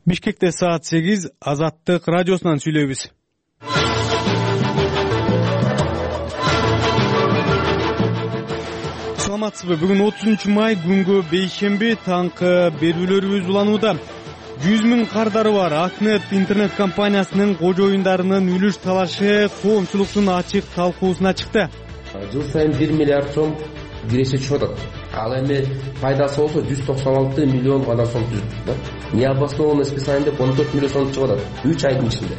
Бишкекте саат 8 Азаттык радиосунан сүйлөйбүз. Саламатсызбы? Бүгүн 30 май күнгө бейшемби, таңкы берүүлөрүбүз уланууда. 100 000 кардары бар Акнет интернет компаниясынын кожоюндарынын үлүш талашы коомчулуктун ачык талкуусуна чыкты. Жыл сайын 1 миллиард сом киреше чыгып атат. Ал эми пайдасы болсо 196 миллион гана сом түзүп. Необоснованный списание деп 14 миллион сом чыгып атат 3 айдын ичинде.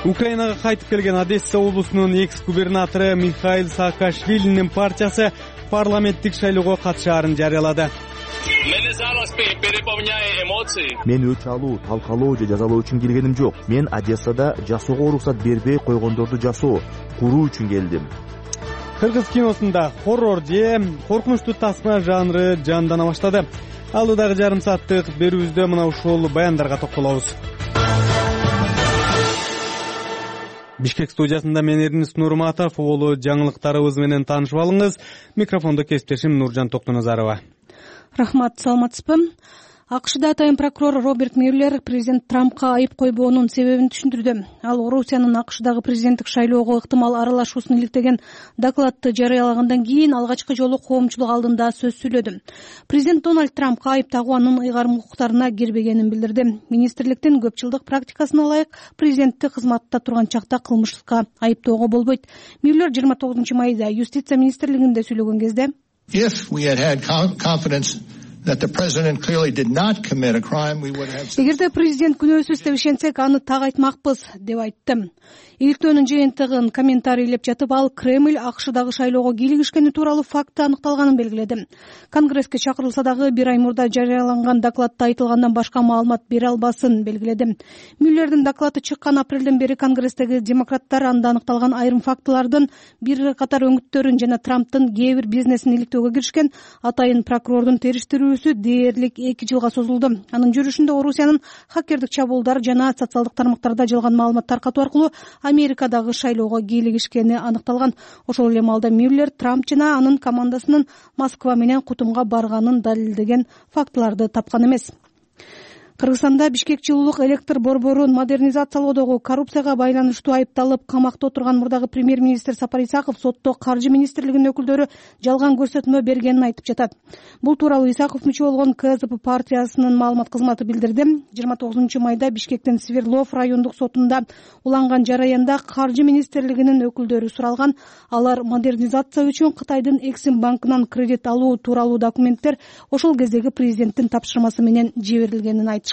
Украинага кайтып келген Одесса облусунун экс-губернатору Михаил Саакашвилинин партиясы парламенттик шайлоого катышаарын жарыялады. Мен өч алуу, талкалоо же жазалоо үчүн келгеним жок. Мен Одессада жасоого уруксат бербей койгондорду жасоо, куруу үчүн келдим. Кыргыз киносунда хоррор же коркунучтуу тасма жанры жандана баштады. Алдыдагы жарым сааттык берүүбүздө мына ушул баяндарга токтолобуз. Бишкек студиясында мен Эрнис Нурматов, улуу жаңылыктарыбыз менен таанышып алыңыз. Микрофондо кесиптешим Нуржан Токтоназарова. Рахмат, саламатсызбы? АКШда атайын прокурор Роберт Мюллер президент Трампка айып койбоонун себебин түшүндүрдү. Ал Орусиянын АКШдагы президенттик шайлоого ыктымал аралашуусун иликтеген докладты жарыялагандан кийин алгачкы жолу коомчулук алдында сөз сүйлөдү. Президент Дональд Трампка айып тагуу анын ыйгарым укуктарына кирбегенин билдирди. Министрликтин көп жылдык практикасына ылайык президенттик кызматта турган чакта кылмышка айыптоого болбойт. Мюллер 29 майда юстиция министрлигинде сүйлөгөн кезде эгерде президент күнөөсүз деп ишенсек, аны так айтмакпыз деп айтты. Иликтөөнүн жыйынтыгын комментарийлеп жатып, ал Кремль АКШдагы шайлоого кийлигишкени тууралуу факты аныкталганын белгиледи. Конгресске чакырылса дагы бир ай мурда жарыяланган докладта айтылгандан башка маалымат бере албасын белгиледи. Мюллердин доклады чыккан апрелден бери Конгресстеги демократтар анда аныкталган айрым фактылардын бир катар өңүттөрүн жана Трамптын кээ бир бизнесин иликтөөгө киришкен атайын прокурордун териштирүүсү дээрлик 2 жылга созулду. Анын жүрүшүндө Орусиянын хакердик чабуулдар жана социалдык тармактарда жалган маалымат таркатуу аркылуу Америкадагы шайлоого кийлигишкени аныкталган. Ошол эле маалда Мюллер Трамп жана анын командасынын Москва менен кутумга барганын далилдеген фактыларды тапкан эмес. Кыргызстанда Бишкек жылуулук электр борборун модернизациялоодогу коррупцияга байланыштуу айыпталып камакта отурган мурдагы премьер-министр Сапар Исаков сотто каржы министрлигинин өкүлдөрү жалган көрсөтмө бергенин айтып жатат. Бул тууралуу Исаков мүчө болгон КСДП партиясынын маалымат кызматы билдирди. 29 майда Бишкектин Свердлов райондук сотунда уланган жараянда каржы министрлигинин өкүлдөрү суралган. Алар модернизация үчүн Кытайдын Эксим банкынан кредит алуу тууралуу документтер ошол кездеги президенттин тапшырмасы менен жиберилгенин айтты.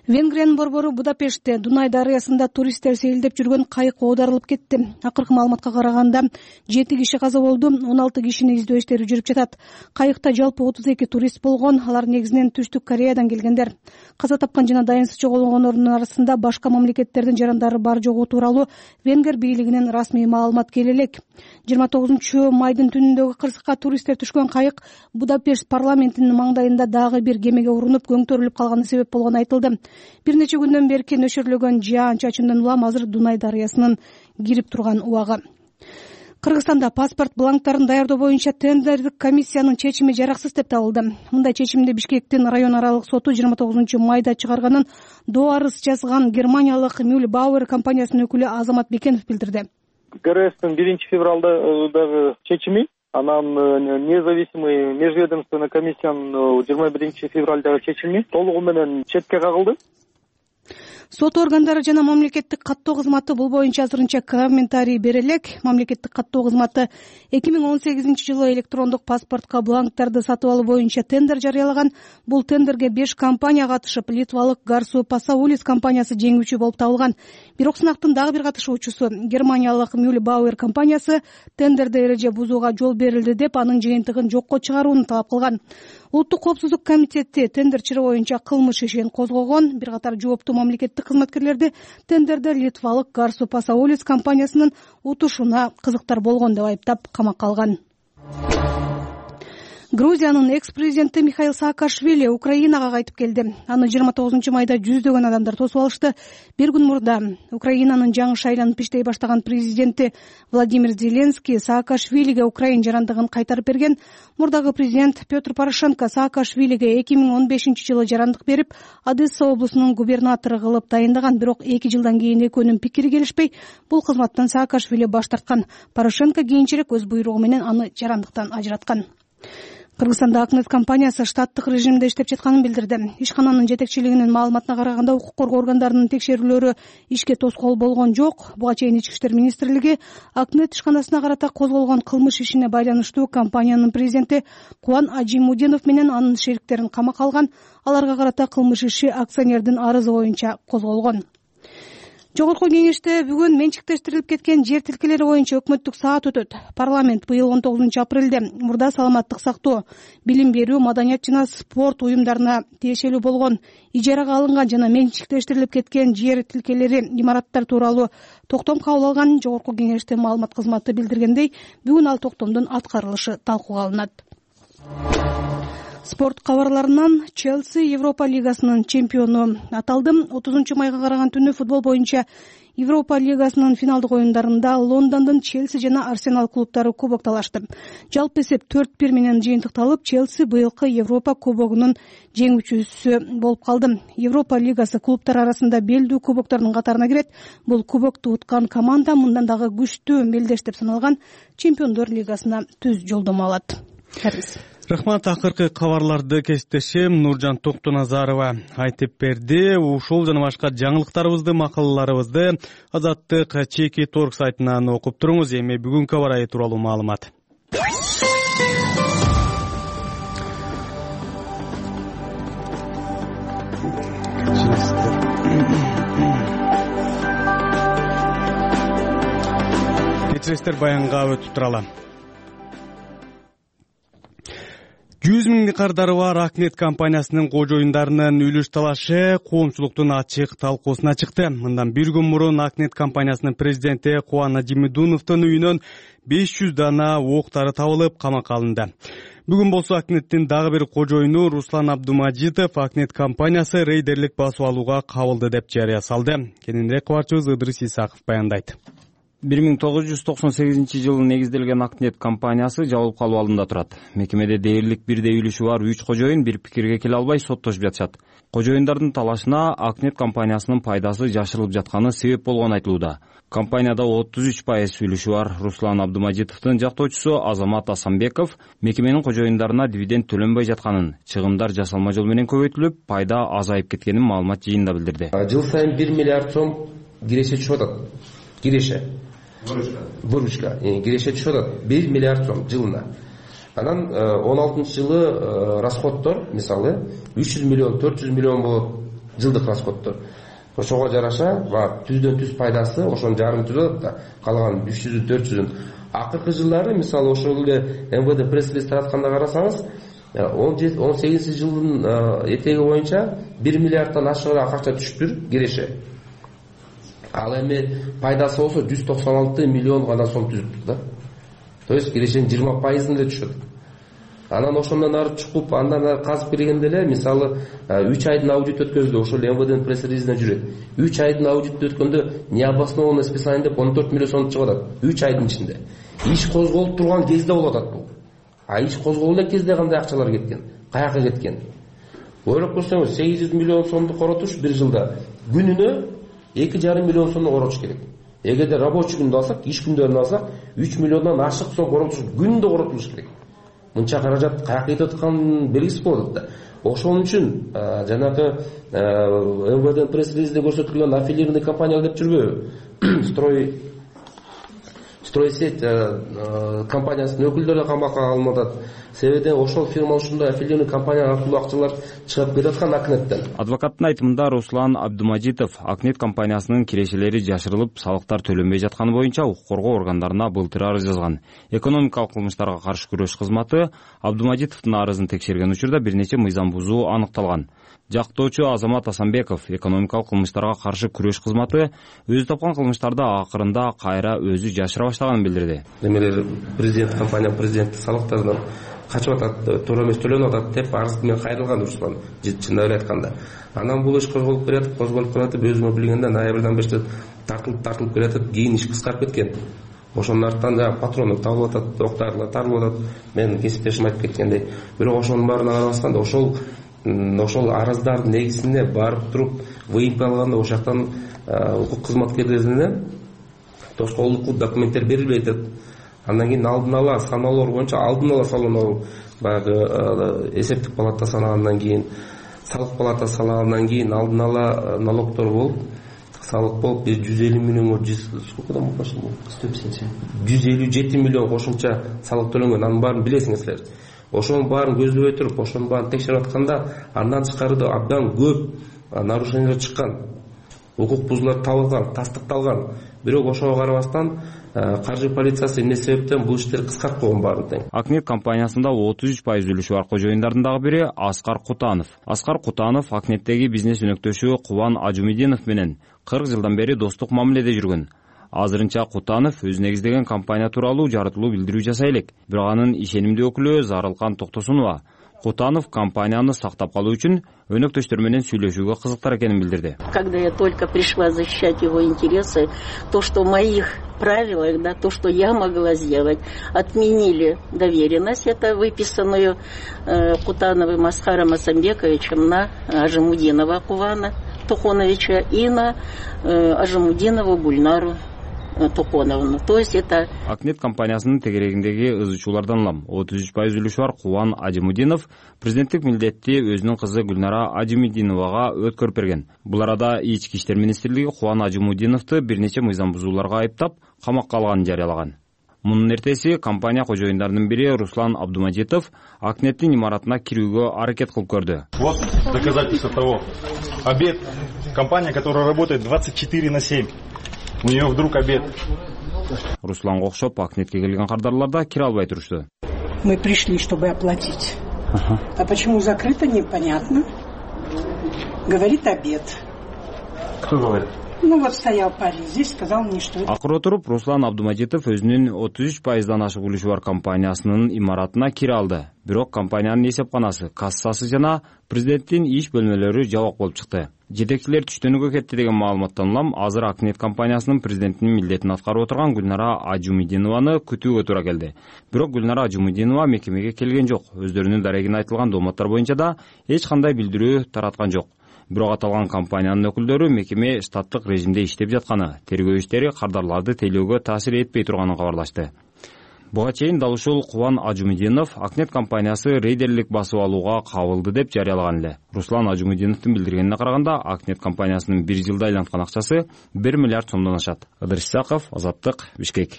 Венгриянын борбору Будапештте Дунай дарыясында туристтер сейилдеп жүргөн кайык оодарылып кетти. Акыркы маалыматка караганда 7 киши каза болду, 16 кишини издөө иштери жүрүп жатат. Кайыкта жалпы 32 турист болгон, алар негизинен Түштүк Кореядан келгендер. Каза тапкан жана дайынсыз жоголгондордун арасында башка мамлекеттердин жарандары бар жогу тууралуу Венгер бийлигинин расмий маалымат келе элек. 29 майдын түнүндөгү кырсыкка туристтер түшкөн кайык Будапешт парламентинин маңдайында дагы бир кемеге урунуп көңтөрүлүп калганы себеп болгону айтылды. Бир нече күндөн бери нөшөрлөгөн жаан-чачындан улам азыр Дунай дарыясынын кирип турган убагы. Кыргызстанда паспорт бланктарын даярдоо боюнча тендердик комиссиянын чечими жараксыз деп табылды. Мындай чечимди Бишкектин район аралык соту 29 майда чыгарганын доо арыз жазган германиялык Mühlbauer компаниясынын өкүлү Азамат Бекенов билдирди. КРСтин 1 февралдагы чечими, анан независимый межведомственный комиссиянын 21 февралдагы чечими толугу менен четке кагылды. Сот органдары жана мамлекеттик каттоо кызматы бул боюнча азырынча комментарий бере элек. Мамлекеттик каттоо кызматы 2018 жылы электрондук паспортко бланктарды сатып алуу боюнча тендер жарыялаган. Бул тендерге 5 компания катышып, литвалык Garsu Pasaulis компаниясы жеңүүчү болуп табылган. Бирок сынактын дагы бир катышуучусу германиялык Mühlbauer компаниясы тендерде эреже бузууга жол берилди деп анын жыйынтыгын жокко чыгарууну талап кылган. Улуттук коопсуздук комитети тендер чыры боюнча кылмыш ишин козгогон. Бир катар жооптуу мамлекеттик кызматкерлерди тендерде литвалык Garsu Pasaulis компаниясынын утушуна кызыктар болгон деп айыптап камакка алган. Грузиянын экс-президенти Михаил Саакашвили Украинага кайтып келди. Аны 29 майда жүздөгөн адамдар тосуп алышты. Бир күн мурда Украинанын жаңы шайланып иштей баштаган президенти Владимир Зеленский Саакашвилиге Украин жарандыгын кайтарып берген. Мурдагы президент Петр Порошенко Саакашвилиге 2015-жылы жарандык берип, Одесса облусунун губернатору кылып дайындаган, бирок 2 жылдан кийин экөөнүн пикири келишпей, бул кызматтан Саакашвили баш тарткан. Порошенко кийинчерээк өз буйругу менен аны жарандыктан ажыраткан. Кыргызстанда Акнет компаниясы штаттык режимде иштеп жатканын билдирди. Ишкананын жетекчилигинин маалыматына караганда, укук коргоо органдарынын текшерүүлөрү ишке тоскоол болгон жок. Буга чейин Ички иштер министрлиги Акнет ишканасына карата козголгон кылмыш ишине байланыштуу компаниянын президенти Кубан Ажимудинов менен анын шериктерин камакка алган. Аларга карата кылмыш иши акционердин арызы боюнча козголгон. Жогорку кеңеште бүгүн менчиктештирилип кеткен жер тилкелери боюнча өкмөттүк саат өтөт. Парламент быйыл 19 апрелде мурда саламаттык сактоо, билим берүү, маданият жана спорт уюмдарына тиешелүү болгон, ижарага алынган жана менчиктештирилип кеткен жер тилкелери, имараттар тууралуу токтом кабыл алган. Жогорку кеңеште маалымат кызматы билдиргендей, бүгүн ал токтомдун аткарылышы талкууга алынат. Спорт кабарларынан Челси Европа лигасынын чемпиону аталды. 30 майга караган түнү футбол боюнча Европа лигасынын финалдык оюндарында Лондондун Челси жана Арсенал клубтары кубок талашты. Жалпы эсеп 4-1 менен жыйынтыкталып, Челси быйылкы Европа кубогунун жеңүүчүсү болуп калды. Европа лигасы клубтар арасында белдүү кубоктордун катарына кирет. Бул кубокту уткан команда мындан дагы күчтүү мелдеш деп саналган Чемпиондор лигасына түз жолдомо алат. Рахмат. Акыркы кабарларды кесиптешим Нуржан Токтоназарова айтып берди. Ушул жана башка жаңылыктарыбызды, макалаларыбызды Азаттык Чеки Торг сайтынан окуп туруңуз. Эми бүгүнкү аба ырайы тууралуу маалымат. Кечиресиздер, баянга өтүп туралы. 100 миң гектардары бар Акнет компаниясынын кожоюндарынын үлүш талашы коомчулуктун ачык талкуусуна чыкты. Мындан бир күн мурун Акнет компаниясынын президенти Кубан Ажимудиновдун үйүнөн 500 дана октары табылып, камакка алынды. Бүгүн болсо Акнеттин дагы бир кожоюну Руслан Абдумажитов Акнет компаниясы рейдерлик басып алууга кабылды деп жарыя салды. Кененирээк кабарчыбыз Ыдрис Исаков баяндайт. 1998 жылы негизделген Акнет компаниясы жабылып калуу алдында турат. Мекемеде дээрлик бирдей үлүшү бар 3 кожоюн бир пикирге келе албай соттошуп жатышат. Кожоюндардын талашына Акнет компаниясынын пайдасы жашырылып жатканы себеп болгону айтылууда. Компанияда 33% үлүшү бар Руслан Абдумажитовдун жактоочусу Азамат Асамбеков мекеменин кожоюндарына дивиденд төлөнбөй жатканын, чыгымдар жасалма жол менен көбөйтүлүп, пайда азайып кеткенин маалымат жыйынында билдирди. Жыл сайын 1 миллиард сом киреше түшүп атат. Киреше. Выручка. Киреше түшүп атат 1 миллиард сом жылына. Анан 16-жылы расходтор, мисалы 300 миллион, 400 миллион болот жылдык расходтор. Ошого жараша, түздөн түз пайдасы ошонун жарым түзөт да, калган 300-400. Акыркы жылдары, мисалы ошол эле МВД пресс-релиз таратканда карасаңыз, 18-жылдын этеги боюнча 1 миллиардтан ашыгыраак акча түшүптүр киреше. Ал эми пайдасы болсо 196 миллион гана сом түзүптүр да. То есть кирешенин 20% эле түшөт. Анан ошондон ары чукуп, андан ары казып киргенде эле, мисалы 3 айдын аудит өткөздү, ошол МВДнын пресс-релизине жүрөт. 3 айдын аудит өткөндө необоснованное списание деп 14 миллион сом чыгып атат. 3 айдын ичинде. Иш козголуп турган кезде болуп атат бул. А иш козголгон кезде кандай акчалар кеткен? Каяка кеткен? Ойлоп көрсөңүз, 800 миллион сомду коротуш бир жылда күнүнө 2,5 миллион сомду коротуш керек. Эгерде рабочий күндө алсак, иш күндөрүн алсак, 3 миллиондон ашык сом коротуш күндө коротулуш керек. Мынча каражат каяка кетип атканын белгиси болот да. Ошон үчүн жанагы МВД пресс-релизде көрсөтүлгөн аффилированный компания деп жүрбөйбү? Стройсеть компаниясынын өкүлдөрү камакка алынып атат. Себеби ошол фирма ушундай аффилированный компания аркылуу акчалар чыгып кетип аткан Акнеттен. Адвокаттын айтымында Руслан Абдумажитов Акнет компаниясынын кирешелери жашырылып, салыктар төлөнбөй жатканы боюнча укук коргоо органдарына былтыр арыз жазган. Экономикалык кылмыштарга каршы күрөш кызматы Абдумажитовдун арызын текшерген учурда бир нече мыйзам бузуу аныкталган. Жактоочу Азамат Асамбеков экономикалык кылмыштарга каршы күрөш кызматы өзү тапкан кылмыштарды акырында кайра өзү жашыра баштаганын билдирди. Демек президент компания президенти салыктардан качып атат, туура эмес төлөнүп атат деп арыз менен кайрылган Руслан, чындап эле айтканда. Анан бул иш козголуп келатып, өзүмө билгенде ноябрдан бери тартылып келатат, кийин иш кыскарып кеткен. Ошонун артынан патрондор табылып атат, октарлар тарылып атат. Мен кесиптешим айтып кеткендей. Бирок ошонун баарына карабастан ошол арыздардын негизинде барып туруп выемка алганда ошол жактан укук кызматкерлерине тоскоолдук документтер берилбей атат. Андан кийин алдын ала саноолор боюнча салынуу, баягы эсептик палата санагандан кийин, салык палатасы санагандан кийин алдын ала налогдор болуп, салык болуп 150 миллионго сколько 157 миллион кошумча салык төлөнгөн. Анын баарын билесиңер. Ошонун баарын көздөбөй туруп, ошонун баарын текшерип атканда, андан тышкары абдан көп нарушениялар чыккан. Укук бузуулар табылган, тастыкталган. Бирок ошого карабастан каржы полициясы эмне себептен бул иштерди кыскартып койгон баарын тең. Акнет компаниясында 33% үлүшү бар кожоюндардын дагы бири Аскар Кутанов. Аскар Кутанов Акнеттеги бизнес өнөктөшү Кубан Ажумидинов менен 40 жылдан бери достук мамиледе жүргөн. Азырынча Кутанов өз негиздеген компания тууралуу жарытылуу билдирүү жасай элек. Бирок анын ишенимдүү өкүлү Зарылкан Токтосунова Кутанов компанияны сактап калуу үчүн өнөктөштөр менен сүйлөшүүгө кызыктар экенин билдирди. Когда я только пришла защищать его интересы, то, что в моих правилах, то, что я могла сделать, отменили доверенность, это выписанную Кутановым Аскаром Асамбековичем на Ажимудинова Кувана Тухоновича и на Ажимудинову Гульнару Тухоновну. То есть это Акнет компаниясынын тегерегиндеги ызычуулардан улам 33% үлүшү бар Кубан Ажимудинов президенттик милдетти өзүнүн кызы Гүлнара Ажимудиновага өткөрүп берген. Бул арада Ички иштер министрлиги Кубан Ажимудиновду бир нече мыйзам бузууларга айыптап, камакка алганын жарыялаган. Мунун эртеси компания кожоюндарынын бири Руслан Абдумажитов Акнеттин имаратына кирүүгө аракет кылып көрдү. Вот доказательство того. Обед. Компания, которая работает 24/7. У нее вдруг обед. Русланга окшоп Акнетке келген кардарлар да кире албай турушту. Мы пришли, чтобы оплатить. А почему закрыто, непонятно. Говорит обед. Кто говорит? Ну вот стоял парень здесь, сказал мне, что... Акыры отуруп Руслан Абдумажитов өзүнүн 33%дан ашык үлүшү бар компаниясынын имаратына кире алды. Бирок компаниянын эсепканасы, кассасы жана президенттин иш бөлмөлөрү жабык болуп чыкты. Жетекчилер түштөнүүгө кетти деген маалыматтан улам азыр Акнет компаниясынын президентинин милдетин аткарып отурган Гүлнара Ажумидинованы күтүүгө туура келди. Бирок Гүлнара Ажумидинова мекемеге келген жок. Өздөрүнүн дарегине айтылган дооматтар боюнча да эч кандай билдирүү тараткан жок. Бирок аталган компаниянын өкүлдөрү мекеме штаттык режимде иштеп жатканы, тергөө иштери кардарларды тейлөөгө таасир этпей турганын кабарлашты. Буга чейин дал ушул Кубан Ажумидинов Акнет компаниясы рейдерлик басып алууга кабылды деп жарыялаган эле. Руслан Ажумидиновдун билдиргенине караганда, Акнет компаниясынын 1 жылда айланткан акчасы 1 миллиард сомдон ашат. Ыдырыс Исаков, Азаттык, Бишкек.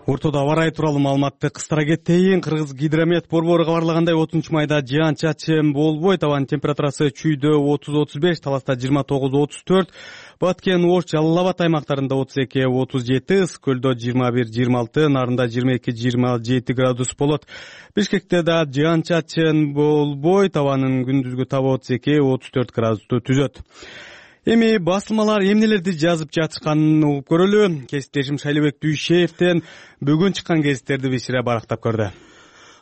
Ортодо аба ырайы тууралуу маалыматты кыстара кетейин. Кыргыз гидромет борбору кабарлагандай 30 майда жаан-чачын болбойт. Абанын температурасы чүйдө 30-35, таласта 29-34, Баткен, Ош, Жалал Абад аймактарында 32-37, Ыс көлдө 21-26, Нарында 22-27 градус болот. Бишкекте да жаан-чачын болбойт. Абанын күндүзгү табы 32-34 градусту түзөт. Эми басылмалар эмнелерди жазып жатышканын угуп көрөлү. Кесиптешим Шайлыбек Дүйшеевден бүгүн чыккан гезиттерди бисире барактап көрдү.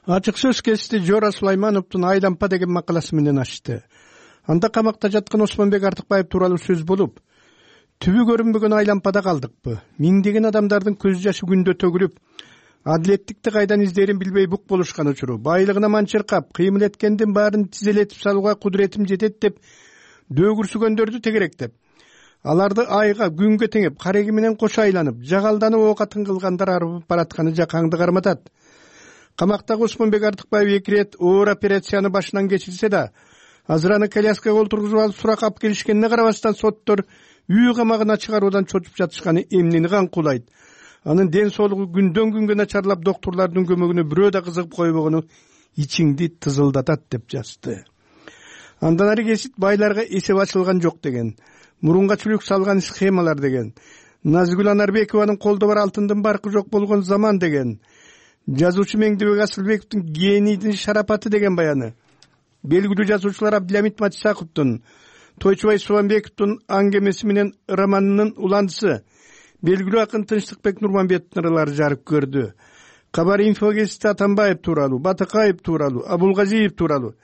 Ачык сөз кести Жора Сулаймановдун Айлампа деген макаласы менен ачты. Анда камакта жаткан Осмонбек Артыкбаев тууралуу сөз болуп, түбү көрүнбөгөн Айлампада калдыкпы? Миңдеген адамдардын көз жашы күндө төгүлүп, адилеттикти кайдан издерин билбей бук болушкан учуру, байлыгына манчыркап, кыймыл эткендин баарын тизелетип салууга кудуретим жетет деп дөгүрсүгөндөрдү тегеректеп, аларды айга, күнгө теңеп, кареги менен кошо айланып, жагалданып ок атын кылгандар арып баратканы жакаңды карматат. Камактагы Осмонбек Артыкбаев 2 рет оор операцияны башынан кечирсе да, азыр аны коляскага олтургузуп алып сурак алып келишкенине карабастан соттор үй камагына чыгаруудан чочуп жатышканы эмнени каңкуулайт. Анын ден соолугу күндөн күнгө начарлап, доктурлардын көмөгүнө бирөө да кызыгып койбогону ичиңди тызылдатат деп жазды. Андан ары кесит байларга эсеп ачылган жок деген, мурунга чүлүк салган схемалар деген, Назгүл Анарбекованын колдо бар алтындын баркы жок болгон заман деген, жазуучу Меңдебек Тойчубай Субанбековдун аңгемеси менен романынын уландысы белгилүү акын Тынчтыкбек Нурманбетовдун ырлары жарык көрдү. Кабар инфо гезити Атамбаев тууралуу, Батакаев тууралуу, Абулгазиев тууралуу,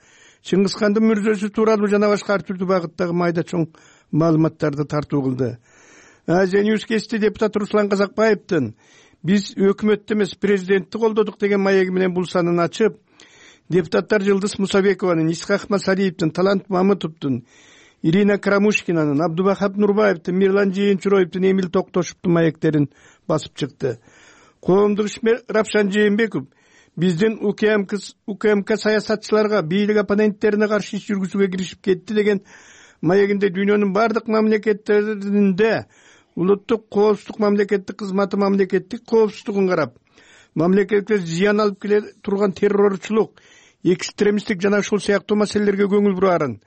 Чыңгызхандын мүрзөсү тууралуу жана башка ар түрдүү багыттагы майда чоң маалыматтарды тартуу кылды. Азия Ньюс гезити депутат Руслан Казакбаевдин биз өкмөттү эмес президентти колдодук деген маеги менен бул санын ачып, депутаттар Жылдыз Мусабекованын, Исхак Масалиевдин, Талант Мамытовдун, Ирина Карамушкинанын, Абдубахап Нурбаевдин, Мирлан Жээнчуроевдун, Эмил Токтошевдун маектерин басып чыкты. Коомдук ишмер Рапшан Жээнбеков биздин УКМК саясатчыларга, бийлик оппоненттерине каршы иш жүргүзүүгө киришип кетти деген маегинде дүйнөнүн бардык мамлекеттеринде улуттук коопсуздук мамлекеттик кызматы мамлекеттик коопсуздугун карап, мамлекетке зыян алып келе турган террорчулук, экстремисттик жана ушул сыяктуу маселелерге көңүл бурарын.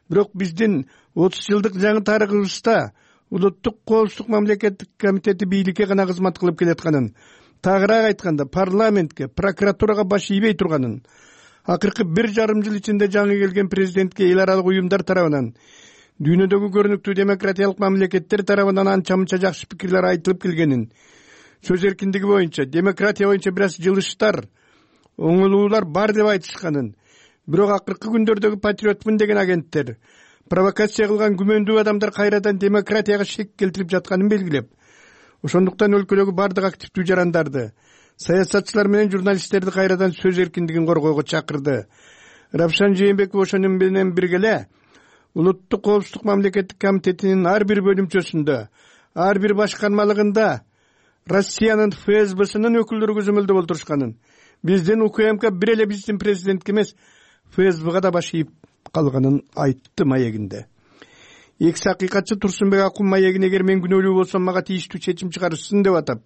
Бирок биздин 30 жылдык жаңы тарыхыбызда улуттук коопсуздук мамлекеттик комитети бийликке гана кызмат кылып келатканын, тагыраак айтканда парламентке, прокуратурага баш ийбей турганын, акыркы 1,5 жыл ичинде жаңы келген президентке эл аралык уюмдар тарабынан, дүйнөдөгү көрүнүктүү демократиялык мамлекеттер тарабынан анча-мынча жакшы пикирлер айтылып келгенин, сөз эркиндиги боюнча, демократия боюнча бир аз жылыштар, оңолуулар бар деп айтышканын, бирок акыркы күндөрдөгү патриотмун деген агенттер, провокация кылган күмөндүү адамдар кайрадан демократияга шек келтирип жатканын белгилеп, ошондуктан өлкөдөгү бардык активдүү жарандарды, саясатчылар менен журналисттерди кайрадан сөз эркиндигин коргоого чакырды. Рапшан Жээнбеков ошону менен бирге улуттук коопсуздук мамлекеттик комитетинин ар бир бөлүмчөсүндө, ар бир башкармалыгында Россиянын ФСБсынын өкүлдөрү көзөмөлдө болтурушканын, биздин УКМК бир эле биздин президентке эмес, ФСБга да баш ийип калганын айтты маегинде. Экс акыйкатчы Турсунбек Акун маегин эгер мен күнөөлүү болсом мага тийиштүү чечим чыгарышсын деп атап,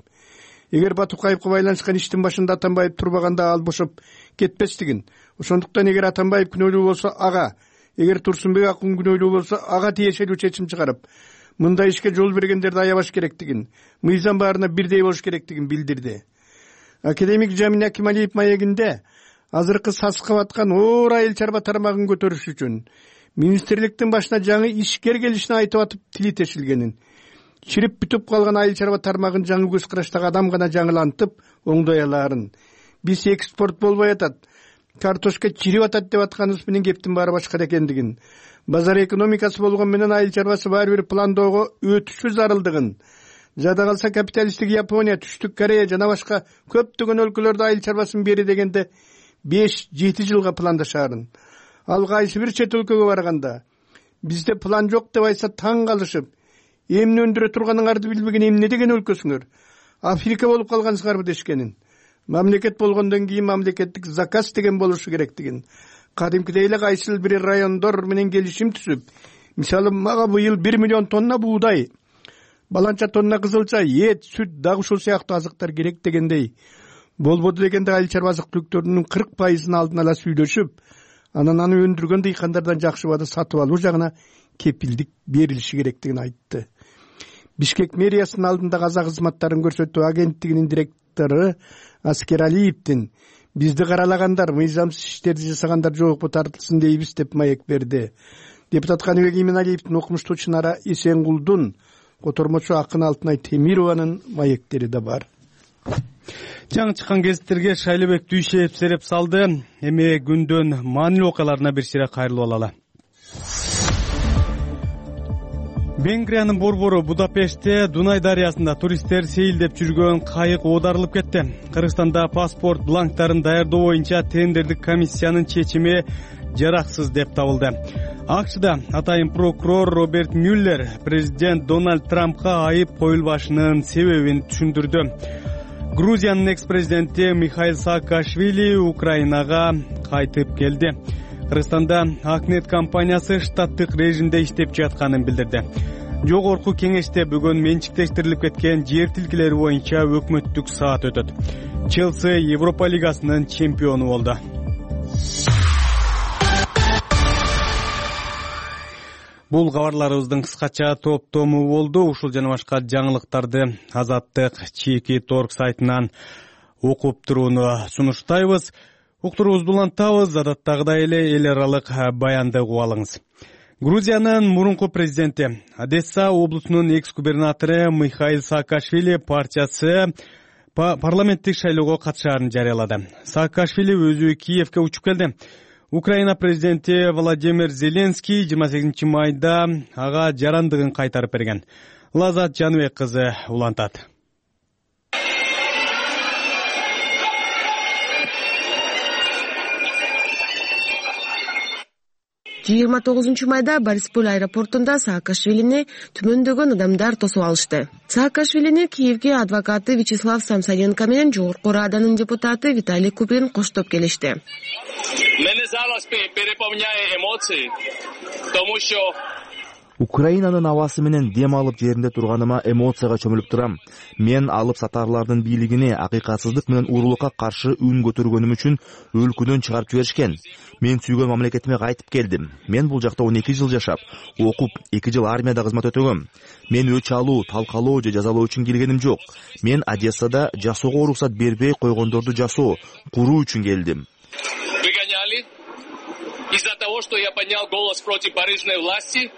эгер Батукаевга байланышкан иштин башында Атамбаев турбаганда ал бошоп кетпестигин, ошондуктан эгер Атамбаев күнөөлүү болсо ага, эгер Турсунбек Акун күнөөлүү болсо ага тиешелүү чечим чыгарып, мындай ишке жол бергендерди аябаш керектигин, мыйзам баарына бирдей болуш керектигин билдирди. Академик Жамин Акималиев маегинде азыркы сасыкап аткан оор айыл чарба тармагын көтөрүш үчүн министрликтин башына жаңы ишкер келишин айтып атып тили тешилгенин, чирип бүтүп калган айыл чарба тармагын жаңы көз караштагы адам гана жаңылантып оңдой алаарын, биз экспорт болбой атат, картошка чирип атат деп атканыбыз менен кептин баары башка экендигин, базар экономикасы болгон менен айыл чарбасы баары бир пландоого өтүшү зарылдыгын, жада калса капиталисттик Япония, Түштүк Корея жана башка көптөгөн өлкөлөрдө айыл чарбасын бери дегенде 5-7 жылга пландашаарын. Ал кайсы бир чет өлкөгө барганда бизде план жок деп айтса таң калышып, эмне өндүрө турганыңарды билбеген эмне деген өлкөсүңөр, Африка болуп калгансыңарбы дешкенин, мамлекет болгондон кийин мамлекеттик заказ деген болушу керектигин, кадимкидей эле кайсыл бир райондор менен келишим түзүп, мисалы мага быйыл 1 миллион тонна буудай, баланча тонна кызылча, эт, сүт, дагы ушул сыяктуу азыктар керек дегендей болбоду дегенде айыл чарба азык түлүктөрүнүн 40% алдын ала сүйлөшүп, анан аны өндүргөн дыйкандардан жакшы убада сатып алуу жагына кепилдик берилиши керектигин айтты. Бишкек мэриясынын алдында каза кызматтарын көрсөтүү агенттигинин директору Аскер Алиевдин бизди каралагандар, мыйзамсыз иштерди жасагандар жоопко тартылсын дейбиз деп маек берди. Депутат Каныбек Иманалиевдин, окумуштуу Чынара Эсенгулдун, котормочу Акын Алтынай Темированын маектери да бар. Жаңы чыккан гезиттерге Шайлыбек Дүйшеев сереп салды. Эми күндөн маанилүү окуяларына бир сире кайрылып алалы. Венгриянын борбору Будапештте Дунай дарыясында туристтер сейилдеп жүргөн кайык оодарылып кетти. Кыргызстанда паспорт бланктарын даярдоо боюнча тендердик комиссиянын чечими жараксыз деп табылды. АКШда атайын прокурор Роберт Мюллер президент Дональд Трампка айып коюлбашынын себебин түшүндүрдү. Грузиянын экс-президенти Михаил Саакашвили Украинага кайтып келди. Кыргызстанда Акнет компаниясы штаттык режимде иштеп жатканын билдирди. Жогорку кеңеште бүгүн менчиктештирилип кеткен жер тилкелери боюнча өкмөттүк саат өтөт. Челси Европа лигасынын чемпиону болду. Бул кабарларыбыздын кыскача топтому болду. Ушул жана башка жаңылыктарды Азаттык чийки торг сайтынан окуп турууну сунуштайбыз. Уктуруубузду улантабыз. Адаттагыдай эле эл аралык баянды угуп алыңыз. Грузиянын мурунку президенти, Одесса облусунун экс-губернатору Михаил Саакашвили партиясы парламенттик шайлоого катышаарын жарыялады. Саакашвили өзү Киевке учуп келди. Украина президенти Владимир Зеленский 28 майда ага жарандыгын кайтарып берген. Лазат Жаныбек кызы улантат. 29 майда Борисполь аэропортунда Саакашвилини түмөндөгөн адамдар тосуп алышты. Саакашвилини Киевге адвокаты Вячеслав Самсоненко менен Жогорку Раданын депутаты Виталий Куприн коштоп келишти. Мене зараз переполняет эмоции, потому что Украинанын абасы менен дем алып жеринде турганыма эмоцияга чөмүлүп турам. Мен алып сатарлардын бийлигине акыйкатсыздык менен уурулукка каршы үн көтөргөнүм үчүн өлкөдөн чыгарып жиберишкен. Мен сүйгөн мамлекетиме кайтып келдим. Мен бул жакта 12 жыл жашап, окуп, 2 жыл армияда кызмат өтөгөм. Мен өч алуу, талкалоо же жазалоо үчүн келгеним жок. Мен Одессада жасоого уруксат бербей койгондорду жасоо, куруу үчүн келдим. Выгоняли из-за того, что я поднял голос против барыжной власти,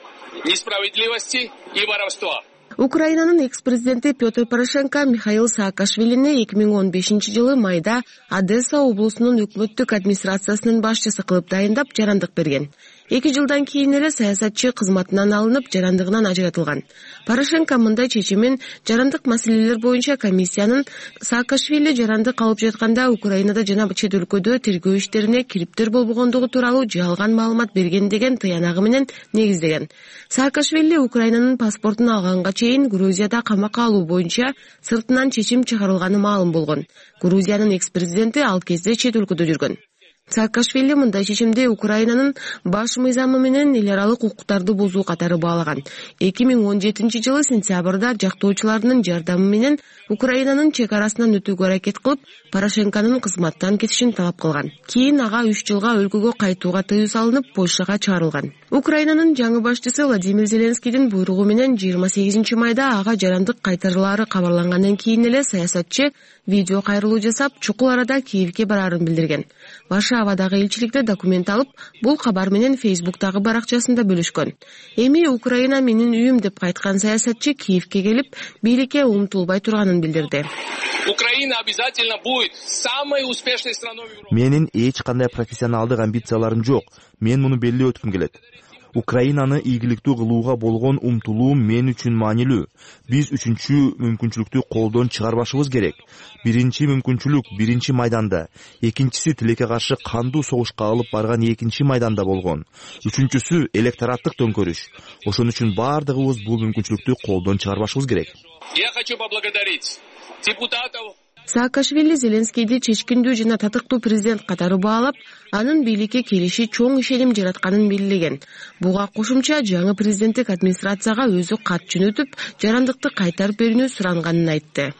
несправедливости и воровства. Украинанын экс-президенти Петр Порошенко Михаил Саакашвилини 2015-жылы майда Одесса облусунун өкмөттүк администрациясынын башчысы кылып дайындап жарандык берген. 2 жылдан кийин эле саясатчы кызматынан алынып, жарандыгынан ажыратылган. Порошенко мындай чечимин жарандык маселелер боюнча комиссиянын Саакашвили жарандык алып жатканда Украинада жана чет өлкөдө тергөө иштерине кириптер болбогондугу тууралуу жалган маалымат берген деген тыянагы менен негиздеген. Саакашвили Украинанын паспортун алганга чейин Грузияда камакка алуу боюнча сыртынан чечим чыгарылганы маалым болгон. Грузиянын экс-президенти ал кезде чет өлкөдө жүргөн. Саакашвили мындай чечимди Украинанын баш мыйзамы менен эл аралык укуктарды бузуу катары баалаган. 2017-жылы сентябрда жактоочулардын жардамы менен Украинанын чек арасынан өтүүгө аракет кылып, Порошенконун кызматтан кетишин талап кылган. Кийин ага 3 жылга өлкөгө кайтууга тыюу салынып, Польшага чыгарылган. Украинанын жаңы башчысы Владимир Зеленскийдин буйругу менен 28 майда ага жарандык кайтарылаары кабарлангандан кийин эле саясатчы видео кайрылуу жасап, чукул арада Киевге бараарын билдирген. Варшавадагы элчиликте документ алып, бул кабар менен Фейсбуктагы баракчасында бөлүшкөн. Эми Украина менин үйүм деп кайткан саясатчы Киевге келип, бийликке умтулбай турганын билдирди. Украина обязательно будет самой успешной страной в Европе. Менин эч кандай профессионалдык амбицияларым жок. Мен муну белгилеп өткүм келет. Украинаны ийгиликтүү кылууга болгон умтулуум мен үчүн маанилүү. Биз үчүнчү мүмкүнчүлүктү колдон чыгарбашыбыз керек. Биринчи мүмкүнчүлүк биринчи майданда, экинчиси тилекке каршы кандуу согушка алып барган экинчи майданда болгон. Үчүнчүсү электораттык төңкөрүш. Ошон үчүн бардыгыбыз бул мүмкүнчүлүктү колдон чыгарбашыбыз керек. Я хочу поблагодарить депутатов. Саакашвили Зеленскийди чечкиндүү жана татыктуу президент катары баалап, анын бийликке келиши чоң ишеним жаратканын белгилеген. Буга кошумча жаңы президенттик администрацияга өзү кат жөнөтүп, жарандыкты кайтарып берүүнү суранганын айтты.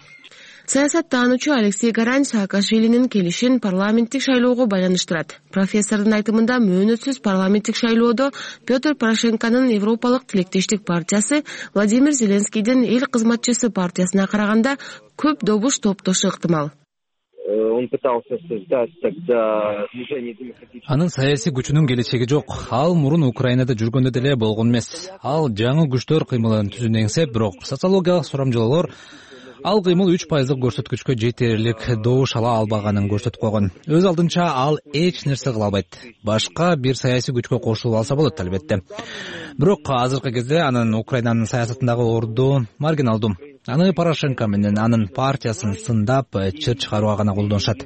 Саясаттануучу Алексей Гарань Саакашвилинин келишин парламенттик шайлоого байланыштырат. Профессордун айтымында мөөнөтсүз парламенттик шайлоодо Петр Порошенконун Европалык тилектештик партиясы Владимир Зеленскийдин эл кызматчысы партиясына караганда көп добуш топтошу ыктымал. Он пытался создать тогда движение демократических. Анын саясий күчүнүн келечеги жок. Ал мурун Украинада жүргөндө деле болгон эмес. Ал жаңы күчтөр кыймылын түзүүнү эңсеп, бирок социологиялык сурамжылоолор ал кыймыл 3% көрсөткүчкө жетерлик добуш ала албаганын көрсөтүп койгон. Өз алдынча ал эч нерсе кыла албайт. Башка бир саясий күчкө кошулуп алса болот албетте. Бирок азыркы кезде анын Украинанын саясатындагы орду маргиналдуу. Аны Порошенко менен анын партиясын сындап, чыр чыгарууга гана колдонушат.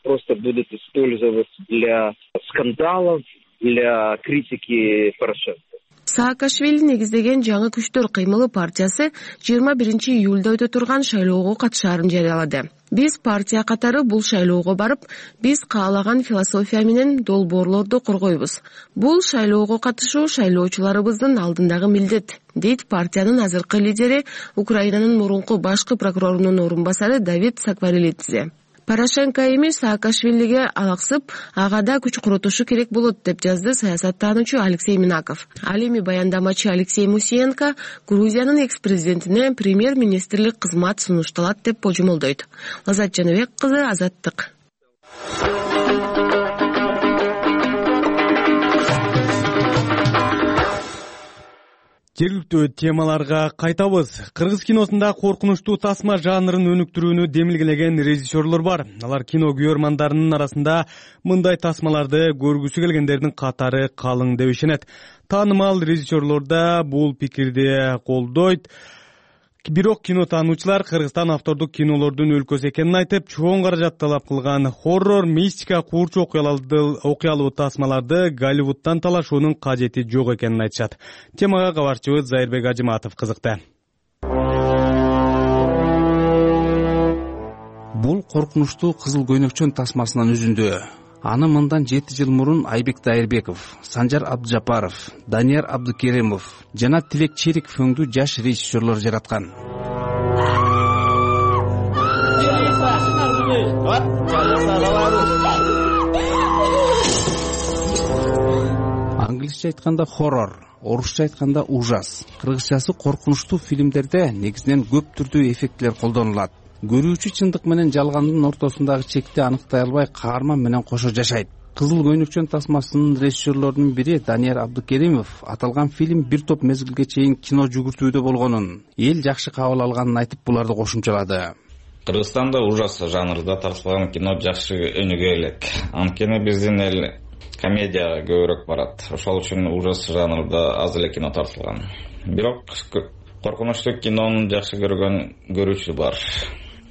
Просто будут использовать для скандалов, для критики Порошенко. Саакашвили негиздеген жаңы күчтөр кыймылы партиясы 21 июлда өтө турган шайлоого катышаарын жарыялады. Биз партия катары бул шайлоого барып, биз каалаган философия менен долбоорлорду коргойбуз. Бул шайлоого катышуу шайлоочуларыбыздын алдындагы милдет, дейт партиянын азыркы лидери, Украинанын мурунку башкы прокурорунун орун басары Давид Сакварелидзе. Порошенко эми Саакашвилиге алаксып, ага да күч курутушу керек болот деп жазды саясаттануучу Алексей Минаков. Ал эми баяндамачы Алексей Мусиенко Грузиянын экс-президентине премьер-министрлик кызмат сунушталат деп божомолдойт. Лазат Жаныбек кызы, Азаттык. Жергиликтүү темаларга кайтабыз. Кыргыз киносунда коркунучтуу тасма жанрын өнүктүрүүнү демилгелеген режиссерлор бар. Алар кино көрөрмандарынын арасында мындай тасмаларды көргүсү келгендердин катары калың деп ишенет. Таанымал режиссерлор да бул пикирди колдойт. Бирок кинотануучулар Кыргызстан автордук кинолордун өлкөсү экенин айтып, чоң каражат талап кылган хоррор, мистика, куурчу окуялуу тасмаларды Голливудтан талашуунун кажети жок экенин айтышат. Темага кабарчыбыз Зайырбек Ажыматов кызыкты. Бул коркунучтуу кызыл көйнөкчөн тасмасынын үзүндү. Аны мындан 7 жыл мурун Айбек Дайырбеков, Санжар Абдыжапаров, Данияр Абдыкеримов жана Тилек Чериков өңдүү жаш режиссерлор жараткан. Англисче айтканда хоррор, орусча айтканда ужас, кыргызчасы коркунучтуу фильмдерде негизинен көп түрдүү эффектилер колдонулат. Көрүүчү чындык менен жалгандын ортосундагы чекти аныктай албай каарман менен кошо жашайт. Кызыл көйнөкчөн тасмасынын режиссерлорунун бири Данияр Абдыкеримов аталган фильм бир топ мезгилге чейин кино жүгүртүүдө болгонун, эл жакшы кабыл алганын айтып буларды кошумчалады. Кыргызстанда ужас жанрында тартылган кино жакшы өнүгө элек. Анткени биздин эл комедияга көбүрөөк барат. Ошол үчүн ужас жанрында аз эле кино тартылган. Бирок коркунучтуу кинону жакшы көргөн көрүүчү бар.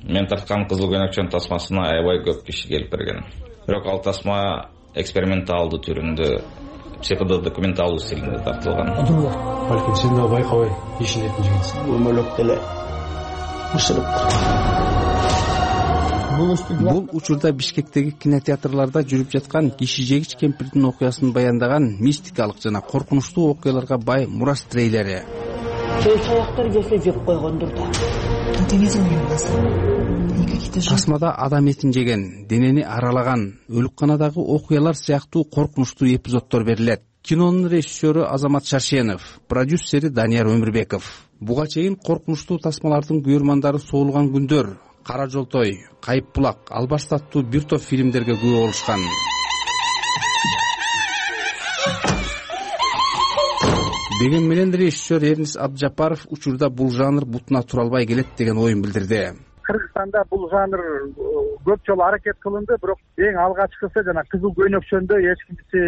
Мен тарткан кызыл көйнөкчөн тасмасына аябай көп киши келип берген. Бирок ал тасма эксперименталдуу түрүндө, психодокументалдуу стилинде тартылган. Балким сен да байкабай ишенетин жигитсиң. Өмөлөп деле ушырып. Бул учурда Бишкектеги кинотеатрларда жүрүп жаткан киши жегич кемпирдин окуясын баяндаган мистикалык жана коркунучтуу окуяларга бай мурас трейлери. Чаяктар келсе жеп койгондур да. Тасмада адам этин жеген, денени аралаган, өлүкканадагы окуялар сыяктуу коркунучтуу эпизоддор берилет. Кинонун режиссеру Азамат Шаршенов, продюсери Данияр Өмүрбеков. Буга чейин коркунучтуу тасмалардын көрөрмандары соолган күндөр, Кара жолтой, Кайып булак, Албаш аттуу бир топ фильмдерге күбө болушкан. Деген менен режиссер Эрнис Абдыжапаров учурда бул жанр бутуна тура албай келет деген оюн билдирди. Кыргызстанда бул жанр көп жолу аракет кылынды, бирок эң алгачкысы жана кызыл көйнөкчөндө эч кимси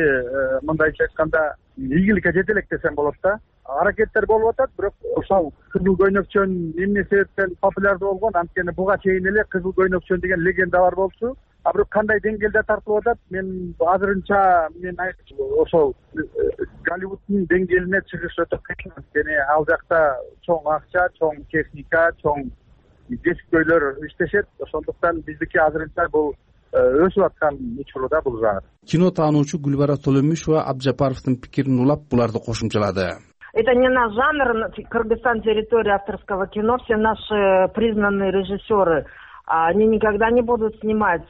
мындайча айтканда ийгиликке жете элек десем болот да. Аракеттер болуп атат, бирок ошол кызыл көйнөкчөн эмне себептен популярдуу болгон? Анткени буга чейин эле кызыл көйнөкчөн деген легенда бар болчу. А бирок кандай деңгээлде тартылып атат? Мен азырынча ошол Голливуддун деңгээлине чыгыш өтө кыйын. Анткени ал жакта чоң акча, чоң техника, чоң кесиптөйлөр иштешет. Ошондуктан биздики азырынча бул өсүп аткан учурда бул жанр. Кино таануучу Гүлбара Толомишова Абдыжапаровдун пикирин улап буларды кошумчалады. Это не наш жанр, Кыргызстан территория авторского кино, все наши признанные режиссеры, они никогда не будут снимать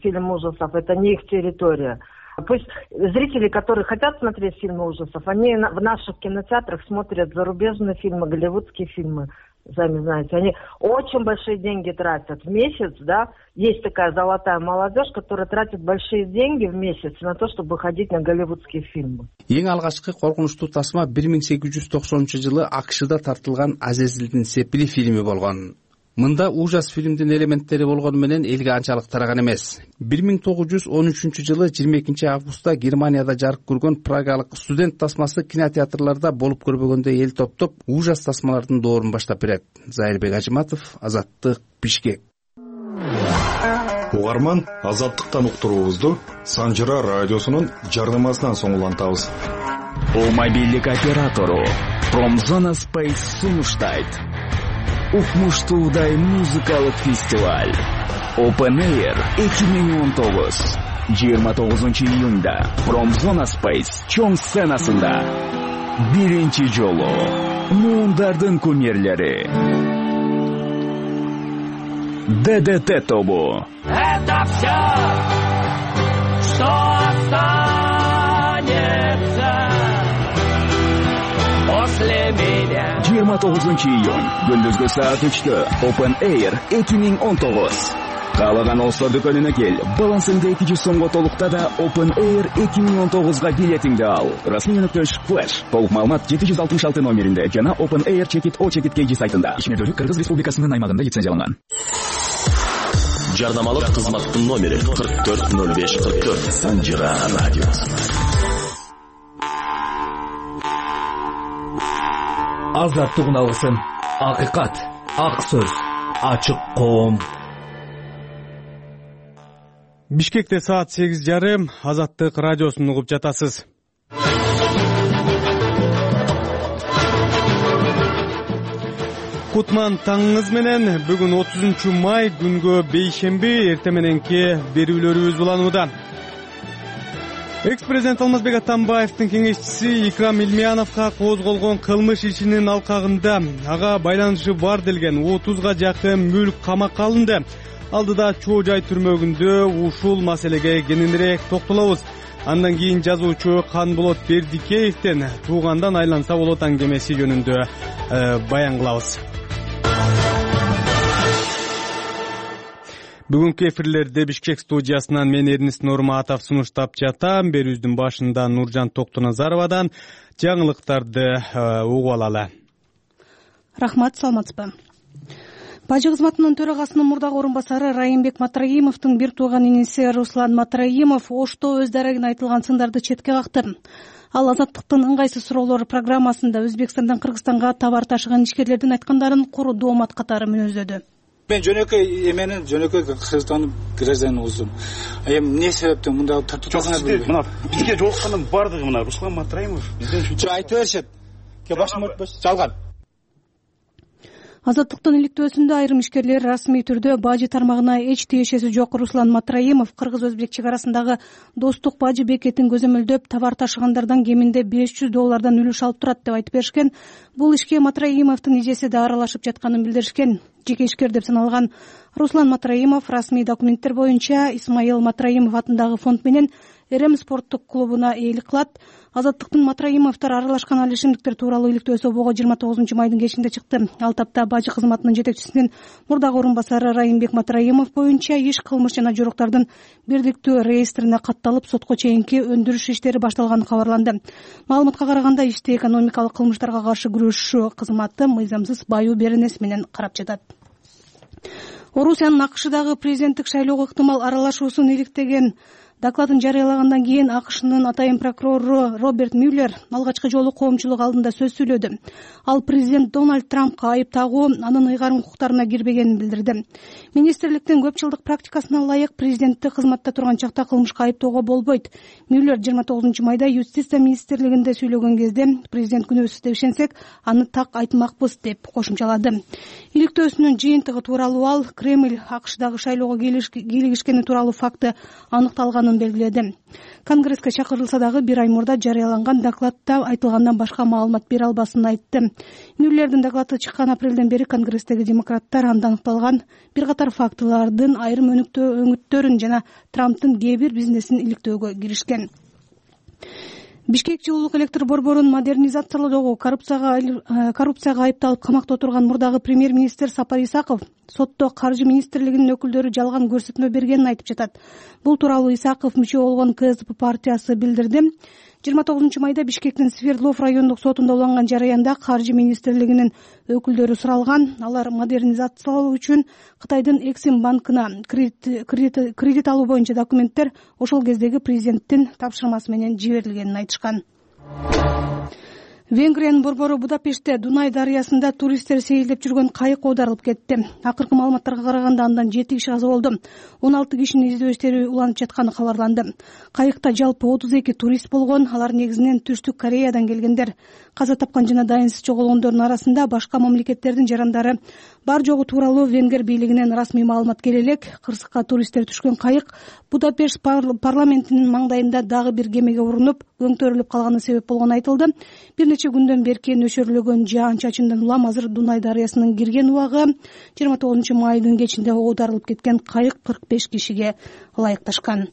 фильм ужасов, это не их территория. Пусть зрители, которые хотят смотреть фильмы ужасов, они в наших кинотеатрах смотрят зарубежные фильмы, голливудские фильмы, сами знаете. Они очень большие деньги тратят в месяц, да. Есть такая золотая молодежь, которая тратит большие деньги в месяц на то, чтобы ходить на голливудские фильмы. Эң алгачкы коркунучтуу тасма 1890-жылы АКШда тартылган Азезилдин Сепили фильми болгон. Мында ужас фильмдин элементтери болгону менен элге анчалык тараган эмес. 1913-жылы 22 августта Германияда жарык көргөн прагалык студент тасмасы кинотеатрларда болуп көрбөгөндөй эл топтоп ужас тасмалардын доорун баштап берет. Зайырбек Ажыматов, Азаттык, Бишкек. Угарман, Азаттыктан уктуруубузду Санжыра радиосунун жардамасынан соң улантабыз. Мобилдик оператору Промзона Space сунуштайт. Укмуштуудай музыкалык фестиваль Open Air 2019 29-июнда Промзона Space чоң сценасында биринчи жолу муундардын кумирлери ДДТ тобу. Это все, что останется после меня. 29-июнь күндүзгү саат 3-тө Open Air 2019 Каалаган All-Star дүкөнүнө кел. Балансыңды 200 сомго толукта да Open Air 2019-га билетиңди ал. Расмий.Flash. Толук маалымат 766 номеринде жана Open Air Check-it O-Check-it сайтында. Ишмердүүлүк Кыргыз Республикасынын аймагында лицензияланган. Жарнамалык кызматтын номери 440544. Санжыра радиосу. Азаттык алгысын. Акыйкат, ак сөз, ачык коом. Бишкекте саат 8:30. Азаттык радиосун угуп жатасыз. Кутман таңыңыз менен. Бүгүн 30 май күнгө бейшемби, эртең мененки берүүлөрүбүз уланууда. Экс-президент Алмазбек Атамбаевдин кеңешчиси Икрам Илмияновго козголгон кылмыш ишинин алкагында ага байланышы бар делген 30га жакын мүлк камакка алынды. Алдыда Чоо жай түрмөгүндө ушул маселеге кененирээк токтолобуз. Андан кийин жазуучу Канболот Бердикеевден туугандан айланса болот аңгемеси жөнүндө баян кылабыз. Бүгүнкү эфирлерде Бишкек студиясынан мен Эрнис Нурматов сунуштап жатам. Берүүбүздүн башында Нуржан Токтоназаровадан жаңылыктарды угуп алалы. Рахмат, саламатсызбы. Бажы кызматынын төрагасынын мурдагы орун басары Райымбек Матраимовдун бир тууган иниси Руслан Матраимов Ошто өз дарегине айтылган сындарды четке какты. Ал Азаттыктын ыңгайсыз суроолор программасында Өзбекстандан Кыргызстанга товар ташыган ишкерлердин айткандарын куру доомат катары мүнөздөдү. Мен жөнөкөй эменин жөнөкөй Кыргызстандын гражданыбызмын. Эми эмне себептен мындай тартууга билбейм. Мына бизге жолуккандын бардыгы мына Руслан Матраимов бизден үчүн айтып беришет. Ке башым өтпөс. Жалган. Азаттыктын иликтөөсүндө айрым ишкерлер расмий түрдө бажы тармагына эч тиешеси жок Руслан Матраимов кыргыз-өзбек чек арасындагы достук бажы бекетин көзөмөлдөп товар ташыгандардан кеминде $500 үлүш алып турат деп айтып беришкен. Бул ишке Матраимовдун эжеси да аралашып жатканын билдиришкен. Жеке ишкер деп саналган Руслан Матраимов расмий документтер боюнча Исмаил Матраимов атындагы фонд менен Эрем спорттук клубуна ээлик кылат. Азаттыктын Матраимовдор аралашкан ал ишимдиктер тууралуу иликтөөсү обого 29 майдын кечинде чыкты. Ал тапта бажы кызматынын жетекчисинин мурдагы орун басары Райымбек Матраимов боюнча иш кылмыш жана жоруктардын бирдиктүү реестрине катталып сотко чейинки өндүрүш иштери башталганы кабарланды. Маалыматка караганда ишти экономикалык кылмыштарга каршы күрөшүү кызматы мыйзамсыз баюу беренеси менен карап жатат. Орусиянын АКШдагы президенттик шайлоого ыктымал аралашуусун иликтеген докладын жарыялагандан кийин АКШнын атайын прокурору Роберт Мюллер алгачкы жолу коомчулук алдында сөз сүйлөдү. Ал президент Дональд Трампка айып тагуу анын ыйгарым укуктарына кирбегенин билдирди. Министрликтин көп жылдык практикасына ылайык президенттик кызматта турган чакта кылмышка айыптоого болбойт. Мюллер 29 майда Юстиция министрлигинде сүйлөгөн кезде президент күнөөсүз деп ишенсек, аны так айтмакпыз деп кошумчалады. Иликтөөсүнүн жыйынтыгы тууралуу ал Кремль АКШдагы шайлоого кийлигишкени тууралуу факты аныкталганын белгиледи. Конгресске чакырылса дагы бир ай мурда жарыяланган докладта айтылгандан башка маалымат бере албасын айтты. Мюллердин доклады чыккан апрелден бери Конгресстеги демократтар анда аныкталган бир катар фактылардын айрым өңүттөрүн жана Трамптын кээ бир бизнесин иликтөөгө киришкен. Бишкек жылуулук электр борборун модернизациялоодогу коррупцияга айыпталып камакта отурган мурдагы премьер-министр Сапар Исаков сотто каржы министрлигинин өкүлдөрү жалган көрсөтмө бергенин айтып жатат. Бул тууралуу Исаков мүчө болгон КСДП партиясы билдирди. 29 майда Бишкектин Свердлов райондук сотунда уланган жараянда каржы министрлигинин өкүлдөрү суралган. Алар модернизациялоо үчүн Кытайдын Эксим банкына кредит алуу боюнча документтер ошол кездеги президенттин тапшырмасы менен жиберилгенин айтышкан. Венгриянын борбору Будапештте Дунай дарыясында туристтер сейилдеп жүргөн кайык оодарылып кетти. Акыркы маалыматтарга караганда андан 7 киши каза болду. 16 кишинин издөө иштери уланып жатканы кабарланды. Кайыкта жалпы 32 турист болгон, алар негизинен Түштүк Кореядан келгендер. Каза тапкан жана дайынсыз жоголгондордун арасында башка мамлекеттердин жарандары бар жогу тууралуу Венгер бийлигинен расмий маалымат келе элек. Кырсыкка туристтер түшкөн кайык Будапешт парламентинин маңдайында дагы бир кемеге урунуп, көңтөрүлүп калганы себеп болгону айтылды. Бир нече күндөн берки нөшөрлөгөн жаан-чачындан улам азыр Дунай дарыясынын кирген убагы 29 майдын кечинде оодарылып кеткен кайык 45 кишиге ылайыкташкан.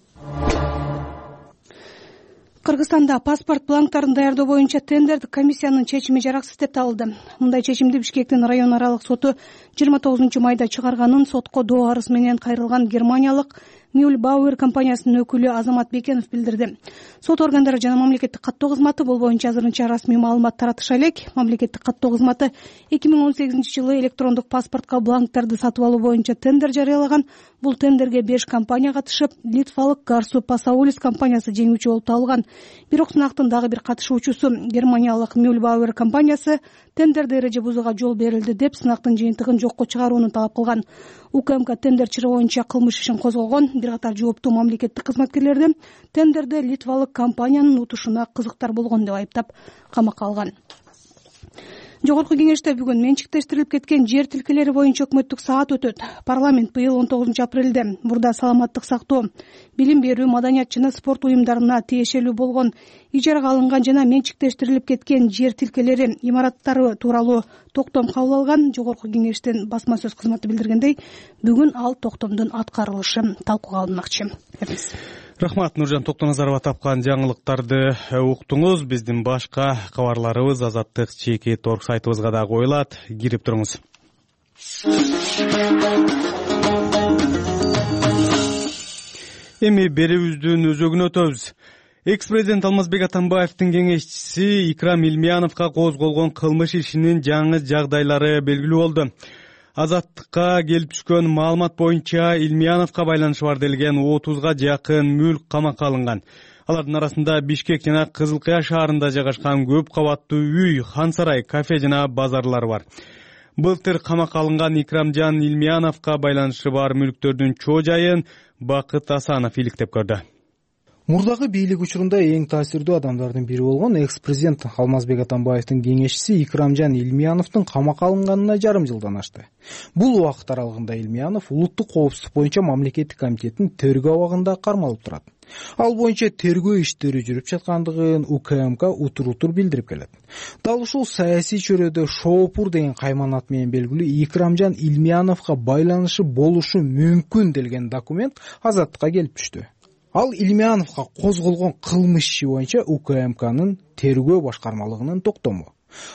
Кыргызстанда паспорт бланктарын даярдоо боюнча тендердик комиссиянын чечими жараксыз деп табылды. Мындай чечимди Бишкектин район аралык соту 29 майда чыгарганын сотко доо арыз менен кайрылган германиялык Mühlbauer компаниясынын өкүлү Азамат Бекенов билдирди. Сот органдары жана мамлекеттик каттоо кызматы бул боюнча азырынча расмий маалымат таратыша элек. Мамлекеттик каттоо кызматы 2018-жылы электрондук паспортко бланктарды сатып алуу боюнча тендер жарыялаган. Бул тендерге 5 компания катышып, литвалык Garsu Pasaulis компаниясы жеңүүчү болуп табылган. Бирок сынактын дагы бир катышуучусу германиялык Mühlbauer компаниясы тендерде эреже бузууга жол берилди деп сынактын жыйынтыгын жокко чыгарууну талап кылган. УКМК тендер чыры боюнча кылмыш ишин козгогон. Бир катар жооптуу мамлекеттик кызматкерлерди тендерде литвалык компаниянын утушуна кызыктар болгон деп айыптап камакка алган. Жогорку кеңеште бүгүн менчиктештирилип кеткен жер тилкелери боюнча өкмөттүк саат өтөт. Парламент быйыл 19-апрелде мурда саламаттык сактоо, билим берүү, маданият жана спорт уюмдарына тиешелүү болгон ижарага алынган жана менчиктештирилип кеткен жер тилкелери имараттары тууралуу токтом кабыл алган. Жогорку кеңештин басма сөз кызматы билдиргендей, бүгүн ал токтомдун аткарылышы талкууга алынмакчы. Рахмат, Нуржан Токтоназарова тапкан жаңылыктарды уктуңуз. Биздин башка кабарларыбыз Азаттык чеки торг сайтыбызга да коюлат. Кирип туруңуз. Эми берүүбүздүн өзөгүнө өтөбүз. Экс-президент Алмазбек Атамбаевдин кеңешчиси Икрам Илмияновго козголгон кылмыш ишинин жаңы жагдайлары белгилүү болду. Азаттыкка келип түшкөн маалымат боюнча Илмияновго байланышы бар делген 30га жакын мүлк камакка алынган. Алардын арасында Бишкек жана Кызыл Кыя шаарында жайгашкан көп кабаттуу үй, хан сарай, кафе жана базарлар бар. Былтыр камакка алынган Икрамжан Илмияновго байланышы бар мүлктөрдүн чоо жайын Бакыт Асанов иликтеп көрдү. Мурдагы бийлик учурунда эң таасирдүү адамдардын бири болгон экс-президент Алмазбек Атамбаевдин кеңешчиси Икрамжан Илмияновдун камакка алынганына жарым жылдан ашты. Бул убакыт аралыгында Илмиянов улуттук коопсуздук боюнча мамлекеттик комитеттин тергөө абагында кармалып турат. Ал боюнча тергөө иштери жүрүп жаткандыгын УКМК утур билдирип келет. Дал ушул саясий чөйрөдө Шоопур деген кайман ат менен белгилүү Икрамжан Илмияновго байланышы болушу мүмкүн делген документ Азаттыкка келип түштү. Ал Илмияновго козголгон кылмыш иши боюнча УКМКнын тергөө башкармалыгынын токтому.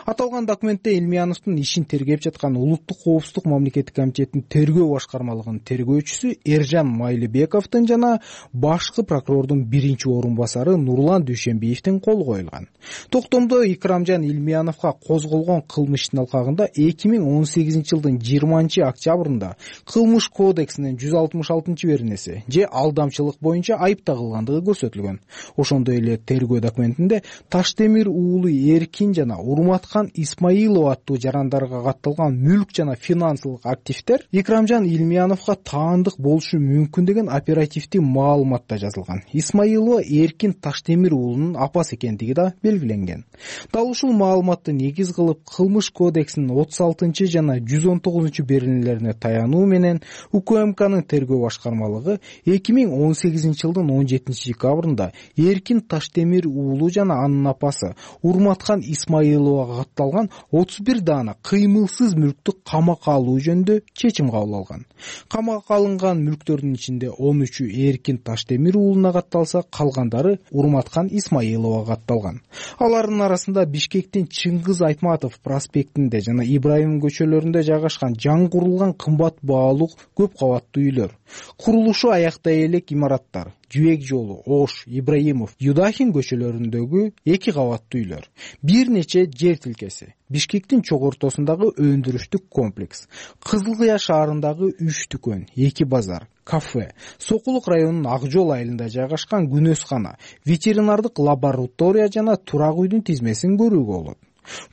Аталган документте Илмияновдун ишин тергеп жаткан улуттук коопсуздук мамлекеттик комитеттин тергөө башкармалыгынын тергөөчүсү Эржан Майлыбековдун жана башкы прокурордун биринчи орун басары Нурлан Дүйшөнбиевдин колу коюлган. Токтомдо Икрамжан Илмияновго козголгон кылмыштын алкагында 2018-жылдын 20-октябрында Кылмыш кодексинин 166-беренеси же алдамчылык боюнча айып тагылгандыгы көрсөтүлгөн. Ошондой эле тергөө документинде Таштемир уулу Эркин жана Урматкан Исмаилов аттуу жарандарга катталган мүлк жана финансылык активдер Икрамжан Илмияновго таандык болушу мүмкүн деген оперативдик маалыматта жазылган. Исмаилова Эркин Таштемир уулунун апасы экендиги да белгиленген. Дал ушул маалыматты негиз кылып Кылмыш кодексинин 36 жана 119 беренелерине таянуу менен УКМКнын тергөө башкармалыгы 2018-жылдын 17 декабрында Эркин Таштемир уулу жана анын апасы Урматкан Исмаиловго катталган 31 даана кыймылсыз мүлктү камакка алуу жөнүндө чечим кабыл алган. Камакка алынган мүлктөрдүн ичинде 13-ü Эркин Таштемир уулуна катталса, калгандары Урматкан Исмаиловго катталган. Алардын арасында Бишкектин Чыңгыз Айтматов проспектинде жана Ибраим көчөлөрүндө жайгашкан жаңы курулган кымбат баалуу көп кабаттуу үйлөр, курулушу аяктай элек имараттар, Жүйек жолу, Ош, Ибраимов, Юдахин көчөлөрүндөгү 2 кабаттуу үйлөр, бир нече жер тилкеси, Бишкектин чок ортосундагы өндүрүштүк комплекс, Кызыл Кыя шаарындагы 3 дүкөн, 2 базар, кафе, Сокулук районунун Ак жол айылында жайгашкан күнөскана, ветеринардык лаборатория жана турак үйдүн тизмесин көрүүгө болот.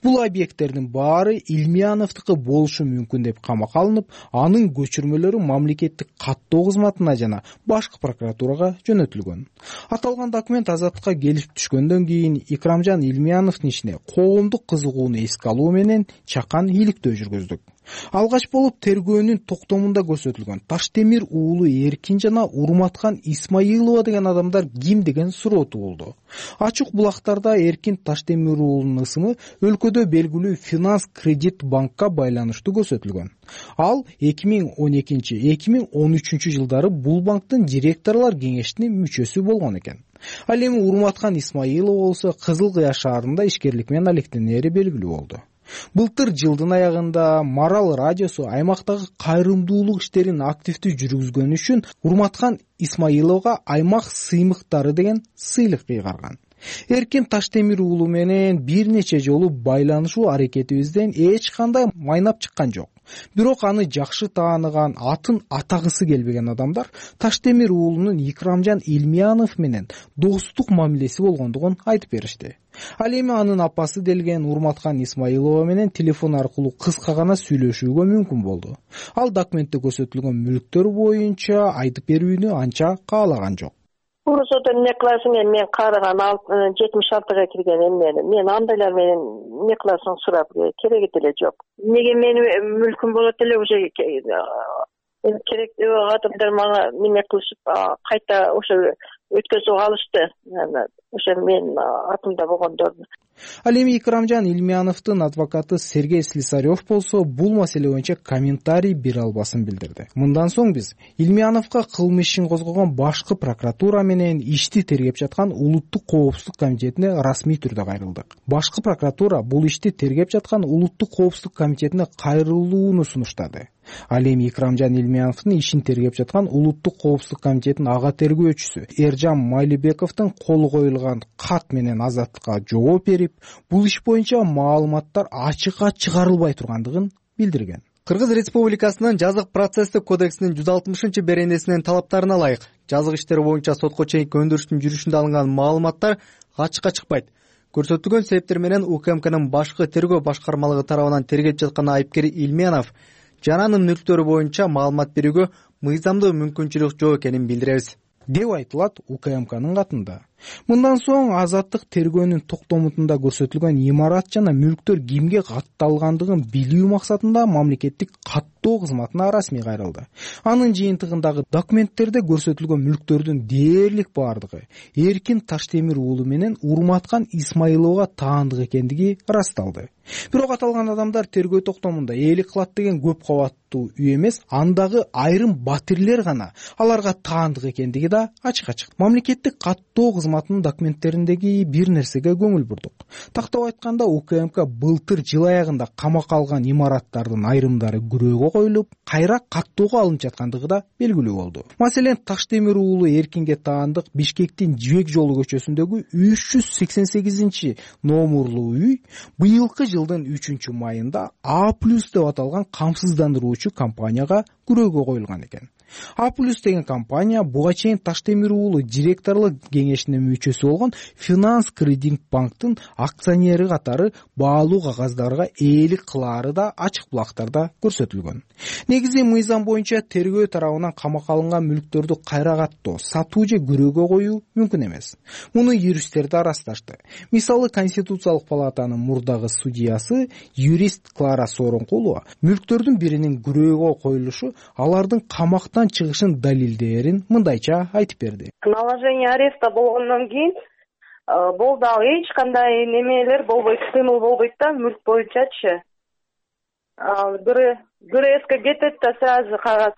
Бул объекттердин баары Илмияновдуку болушу мүмкүн деп камакка алынып, анын көчүрмөлөрү мамлекеттик каттоо кызматына жана башкы прокуратурага жөнөтүлгөн. Аталган документ Азаттыкка келип түшкөндөн кийин Икрамжан Илмияновдун ишине коомдук кызыгууну эске алуу менен чакан иликтөө жүргүздүк. Алгач болуп тергөөнүн токтомунда көрсөтүлгөн Таштемир уулу Эркин жана Урматкан Исмаилова деген адамдар ким деген суроо туулду. Ачык булактарда Эркин Таштемир уулунун ысымы өлкөдө белгилүү финанс кредит банкка байланыштуу көрсөтүлгөн. Ал 2012-2013 жылдары бул банктын директорлор кеңешинин мүчөсү болгон экен. Ал эми Урматкан Исмаилов болсо Кызыл Кыя шаарында ишкерлик менен алектенери белгилүү болду. Былтыр жылдын аягында Марал радиосу аймактагы кайрымдуулук иштерин активдүү жүргүзгөнү үчүн Урматкан Исмаиловго аймак сыймыктары деген сыйлык кыйгарган. Эркин Таштемир уулу менен бир нече жолу байланышуу аракетибизден эч кандай майнап чыккан жок. Бирок аны жакшы тааныган, атын атагысы келбеген адамдар Таштемир уулунун Икрамжан Илмиянов менен достук мамилеси болгондугун айтып беришти. Ал эми анын апасы делген Урматкан Исмаилова менен телефон аркылуу кыска гана сүйлөшүүгө мүмкүн болду. Ал документте көрсөтүлгөн мүлктөр боюнча айтып берүүнү анча каалаган жок. Урусода эмне кыласың, мен карыган 76-га кирген эмнени. Мен андайлар менен эмне кыласың сурап кереги деле жок. Неге менин мүлкүм болот эле уже керектүү адамдар мага эмне кылышып кайта ошо өткөзүп алышты. Ошо мен атымда болгондорду. Ал эми Икрамжан Илмияновдун адвокаты Сергей Слесарев болсо бул маселе боюнча комментарий бере албасын билдирди. Мындан соң биз Илмияновго кылмыш ишин козгогон башкы прокуратура менен ишти тергеп жаткан Улуттук коопсуздук комитетине расмий түрдө кайрылдык. Башкы прокуратура бул ишти тергеп жаткан Улуттук коопсуздук комитетине кайрылууну сунуштады. Ал эми Икрамжан Илмияновдун ишин тергеп жаткан Улуттук коопсуздук комитетинин ага тергөөчүсү Эржан Майлыбековдун колу коюлган кат менен азаттыкка жооп берип, бул иш боюнча маалыматтар ачыкка чыгарылбай тургандыгын билдирген. Кыргыз Республикасынын жазык процесстик кодексинин 160-беренесинин талаптарына ылайык жазык иштери боюнча сотко чейинки өндүрүштүн жүрүшүндө алынган маалыматтар ачыкка чыкпайт. Көрсөтүлгөн себептер менен УКМКнын башкы тергөө башкармалыгы тарабынан тергеп жаткан айыпкер Илмиянов жана анын мүлктөрү боюнча маалымат берүүгө мыйзамдуу мүмкүнчүлүк жок экенин билдиребиз, деп айтылат УКМКнын катында. Мындан соң азаттык тергөөнүн токтомутунда көрсөтүлгөн имарат жана мүлктөр кимге катталгандыгын билүү максатында мамлекеттик каттоо кызматына расмий кайрылды. Анын жыйынтыгындагы документтерде көрсөтүлгөн мүлктөрдүн дээрлик бардыгы Эркин Таштемир уулу менен Урматкан Исмаиловго таандык экендиги ырасталды. Бирок аталган адамдар тергөө токтомунда ээлик кылат деген көп кабаттуу үй эмес, андагы айрым батирлер гана аларга таандык экендиги да ачыкка чыкты. Мамлекеттик каттоо кызматынын документтериндеги бир нерсеге көңүл бурдук. Тактап айтканда, УКМК былтыр жыл аягында камакка алган имараттардын айрымдары күрөөгө коюлуп, кайра каттоого алынып жаткандыгы да белгилүү болду. Маселен, Таштемир уулу Эркинге таандык Бишкектин Жибек жолу көчөсүндөгү 388 номурлуу үй быйылкы жылдын 3-майында А+ деп аталган камсыздандыруучу компанияга күрөөгө коюлган экен. А+ деген компания буга чейин Таштемир уулу директорлук кеңешинин мүчөсү болгон Финанс Кредит банктын акционери катары баалуу кагаздарга ээлик кылаары да ачык булактарда көрсөтүлгөн. Негизи мыйзам боюнча тергөө тарабынан камакка алынган мүлктөрдү кайра каттоо, сатуу же күрөөгө коюу мүмкүн эмес. Муну юристтер да ырасташты. Мисалы, Конституциялык палатанын мурдагы судьясы, юрист Клара Сооронкулова мүлктөрдүн биринин күрөөгө коюлушу алардын камактан чыгышын далилдээрин мындайча айтып берди. Наложение ареста болгондон кийин болду, ал эч кандай немелер болбойт, кыймыл болбойт да мүлк боюнчачы. ГРСке кетет да сразу кагаз.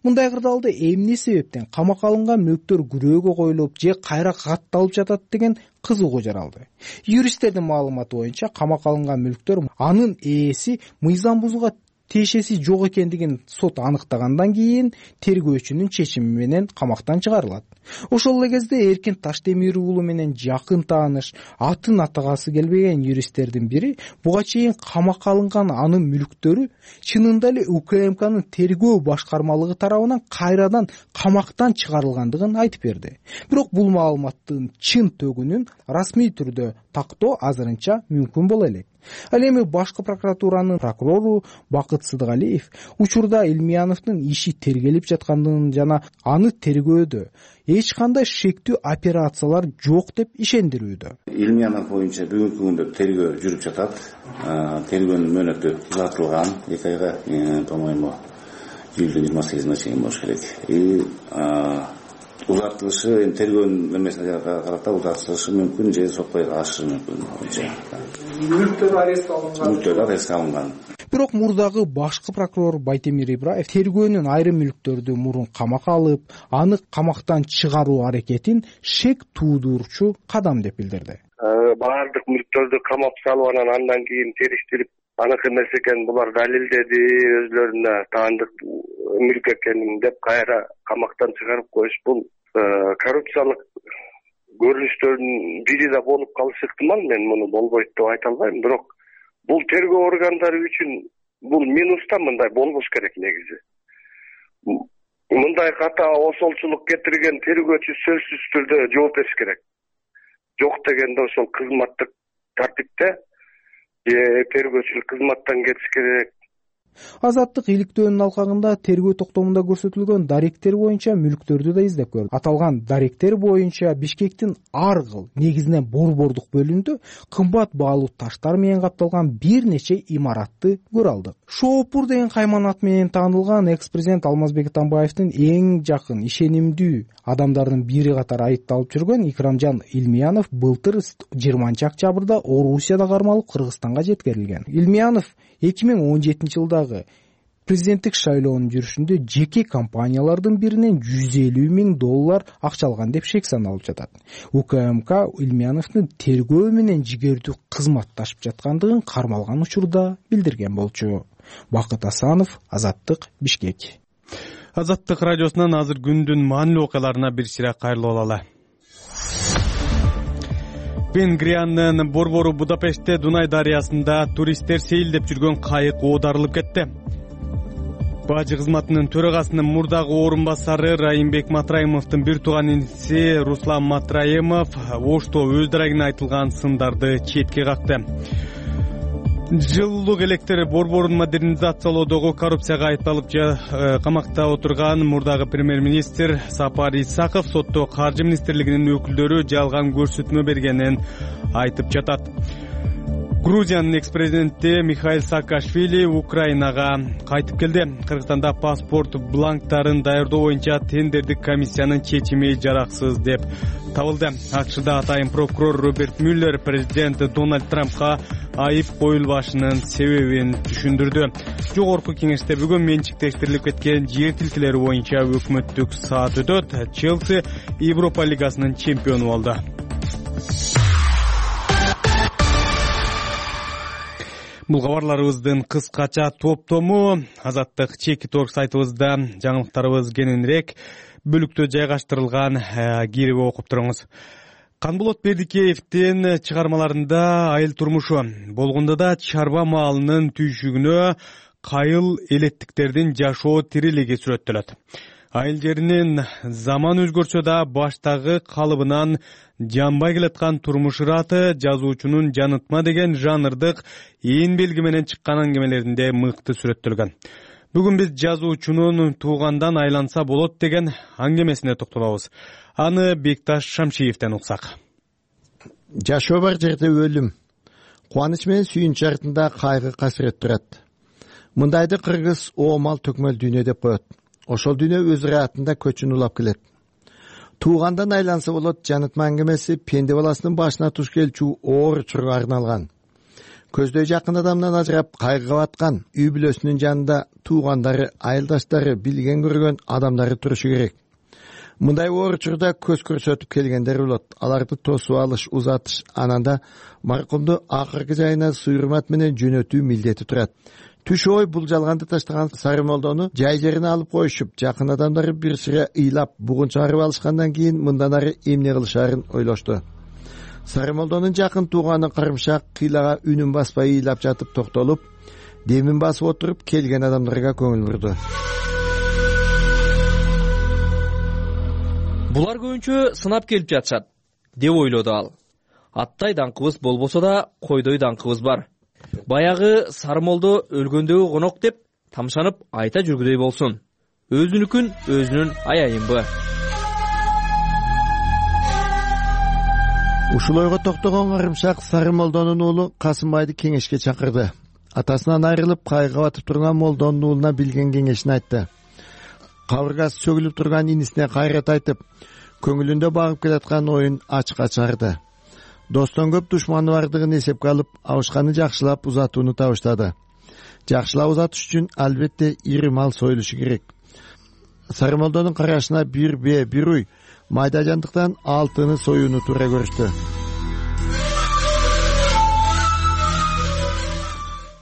Мындай кырдаалда эмне себептен камакка алынган мүлктөр күрөөгө коюлуп же кайра катталып жатат деген кызыгуу жаралды. Юристтердин маалыматы боюнча камакка алынган мүлктөр анын ээси мыйзам бузууга тиешеси жок экендигин сот аныктагандан кийин тергөөчүнүн чечими менен камактан чыгарылат. Ошол эле кезде Эркин Таштемир уулу менен жакын тааныш, атын атагасы келбеген юристтердин бири буга чейин камакка алынган анын мүлктөрү чынында эле УКМКнын тергөө башкармалыгы тарабынан кайрадан камактан чыгарылгандыгын айтып берди. Бирок бул маалыматтын чын төгүнүн расмий түрдө тактоо азырынча мүмкүн боло элек. Ал эми башкы прокуратуранын прокурору Бакыт Сыдыгалиев учурда Илмияновдун иши тергелип жаткандыгын жана аны тергөөдө эч кандай шектүү операциялар жок деп ишендирүүдө. Илмиянов боюнча бүгүнкү күндө тергөө жүрүп жатат. Тергөөнүн мөөнөтү узартылган 2 айга, по-моему, июлдун 28-на чейин болуш керек. Узартылышы тергөөнүн эмесине карата узартылышы мүмкүн же сотко ашышы мүмкүн. Мүлктөр арестке алынган. Мүлктөр арестке алынган. бирок мурдагы башкы прокурор Байтемир Ибраев тергөөнүн айрым мүлктөрдү мурун камакка алып, аны камактан чыгаруу аракетин шек туудурчу кадам деп билдирди. Баардык мүлктөрдү камап салып, андан кийин териштирип, аныкы эмес экенин булар далилдеди, өзлөрүнө таандык мүлк экенин деп кайра камактан чыгарып коюш, бул коррупциялык көрүнүштөрдүн бири да болуп калышы ыктымал. Мен муну болбойт деп айта албайм, бирок бул тергөө органдары үчүн бул минус да, мындай болбош керек негизи. Мындай ката осолчулук кетирген тергөөчү сөзсүз түрдө жооп бериш керек. Жок дегенде ошол кызматтык тартипте тергөөчүлүк кызматтан кетиш керек. Азаттык иликтөөнүн алкагында тергөө токтомунда көрсөтүлгөн даректер боюнча мүлктөрдү да издеп көрдү. Аталган даректер боюнча Бишкектин ар кыл, негизинен борбордук бөлүмүндө кымбат баалуу таштар менен капталган бир нече имаратты көрө алдык. Шоопур деген кайман ат менен таанылган экс-президент Алмазбек Атамбаевдин эң жакын, ишенимдүү адамдардын бири катары айыпталып жүргөн Икрамжан Илмиянов былтыр 20-октябрда Орусияда кармалып Кыргызстанга жеткирилген. Илмиянов 2017-жылдагы президенттик шайлоонун жүрүшүндө жеке компаниялардын биринен $150,000 акча алган деп шек саналып жатат. УКМК Илмияновдун тергөө менен жигердүү кызматташып жаткандыгын кармалган учурда билдирген болчу. Бакыт Асанов, Азаттык, Бишкек. Азаттык радиосунан азыр күндүн маанилүү окуяларына бир сыйра кайрылып алалы. Венгриянын борбору Будапештте Дунай дарыясында туристтер сейилдеп жүргөн кайык оодарылып кетти. Бажы кызматынын төрагасынын мурдагы орун басары Райымбек Матраимовдун бир тууган иниси Руслан Матраимов Ошто өз дарегине айтылган сындарды четке какты. Жылуулук электр борборун модернизациялоодогу коррупцияга айыпталып камакта отурган мурдагы премьер-министр Сапар Исаков сотто каржы министрлигинин өкүлдөрү жалган көрсөтмө бергенин айтып жатат. Грузиянын экс-президенти Михаил Саакашвили Украинага кайтып келди. Кыргызстанда паспорт бланктарын даярдоо боюнча тендердик комиссиянын чечими жараксыз деп табылды. АКШда атайын прокурор Роберт Мюллер президент Дональд Трампка айып коюлбашынын себебин түшүндүрдү. Жогорку кеңеште бүгүн менчиктештирилип кеткен жер тилкелери боюнча өкмөттүк саат өтөт. Челси Европа лигасынын чемпиону болду. Бул кабарларыбыздын кыскача топтому Азаттык чекит орг сайтыбызда жаңылыктарыбыз кененирээк бөлүктө жайгаштырылган, кирип окуп туруңуз. Канболот Бердикеевдин чыгармаларында айыл турмушу, болгондо да чарба маалынын түйшүгүнө кайыл элеттиктердин жашоо тирилиги сүрөттөлөт. Айыл жеринин заман өзгөрсө да баштагы калыбынан жанбай келаткан турмуш ыраты жазуучунун жанытма деген жанрдык ээн белги менен чыккан аңгемелеринде мыкты сүрөттөлгөн. Бүгүн биз жазуучунун туугандан айланса болот деген аңгемесине токтолобуз. Аны Бекташ Шамшиевден уксак. Жашоо бар жерде өлүм, кубаныч менен сүйүнч артында кайгы касырет турат. Мындайды кыргыз оомал төкмөл дүйнө деп коет. Ошол дүйнө өз ыраатында көчүн улап келет. Туугандан айланса болот жанытма аңгемеси пенде баласынын башына туш келчү оор учурга арналган. Көздөй жакын адамдан ажырап кайгыга баткан үй бүлөсүнүн жанында туугандары, айылдаштары, билген көргөн адамдары турушу керек. Мындай оор учурда көз көрсөтүп келгендер болот. Аларды тосуп алыш, узатыш, ананда маркумду акыркы жайына суйрмат менен жөнөтүү милдети турат. Түш ой бул жалганды таштаган Сарымолдону жай жерине алып коюшуп, жакын адамдары бир сыра ыйлап, бугун чыгарып алышкандан кийин мындан ары эмне кылышарын ойлошту. Сарымолдонун жакын тууганы Карымшак кыйлага үнүн баспай ыйлап жатып токтолуп, демин басып отуруп келген адамдарга көңүл бурду. Булар көбүнчө сынап келип жатышат, деп ойлоду ал. Аттай даңкыбыз болбосо да, койдой даңкыбыз бар. Баягы Сарымолдо өлгөндөгү конок деп тамшанып айта жүргүдөй болсун. Өзүнүкүн өзүнүн аяйынбы. Ушул ойго токтогон Карымшак Сарымолдонун уулу Касымбайды кеңешке чакырды. Атасынан айрылып кайгыга батып турган молдонун уулуна билген кеңешин айтты. Кабыргасы чөгүлүп турган инисине кайрат айтып, көңүлүндө багып келаткан оюн ачыкка чыгарды. Достон көп душманы бардыгын эсепке алып, абышканы жакшылап узатууну табыштады. Жакшылап узатыш үчүн албетте ири мал союлушу керек. Сарымолдонун карашына бир бээ, бир уй майда жандыктан 6-ны союуну туура көрүштү.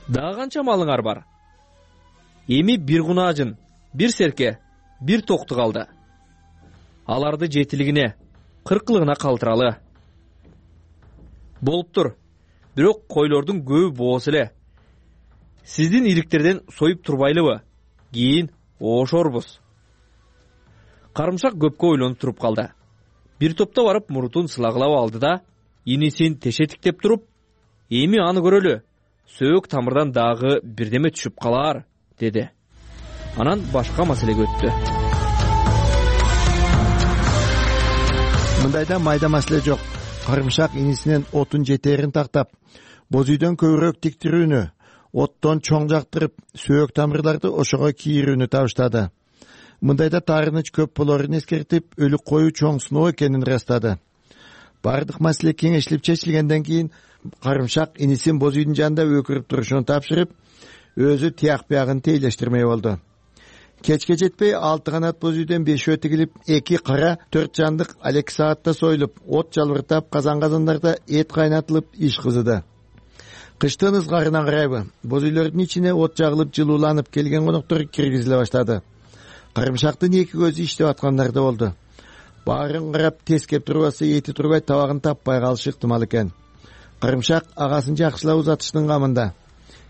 Дагы канча малыңар бар? Эми бир кунаажын, бир серке, бир токту калды. Аларды жетилигине, 40-лыгына калтыралы. Болуптур. Бирок койлордун көбү боос эле. Сиздин ириктерден союп турбайлыбы? Кийин ошорбуз. Карымшак көпкө ойлонуп туруп калды. Бир топто барып мурутун сылагылап алды да, инисин тешетиктеп туруп, эми аны көрөлү. Сөөк тамырдан дагы бирдеме түшүп калар, деди. Анан башка маселеге өттү. Мындайда майда маселе жок. Карымшак инисинен отун жетерин тактап, боз үйдөн көбүрөөк тиктирүүнү, оттон чоң жактырып, сөөк тамырларды ошого кийирүүнү табыштады. Мындайда таарыныч көп болорун эскертип, өлүк кою чоң сыноо экенин ырастады. Бардык маселе кеңешилип чечилгенден кийин карымшак инисин боз үйдүн жанында өкүрүп турушун тапшырып, өзү тияк биягын тейлештирмей болду. Кечке жетпей 6 канат боз үйдөн 5 тигилип, 2 кара 4 жандык 2 саатта союлуп, от жалбыртап, казан-казандарда эт кайнатылып, иш кызыды. Кыштын ызгарынан карайбы, боз үйлөрдүн ичине от жагылып, жылууланып келген коноктор киргизиле баштады. Карымшактын 2 көзү иштеп аткандар да болду. Баарын карап, тескеп турбаса эти турбай табагын таппай калышы ыктымал экен. Карымшак агасын жакшылап узатыштын камында.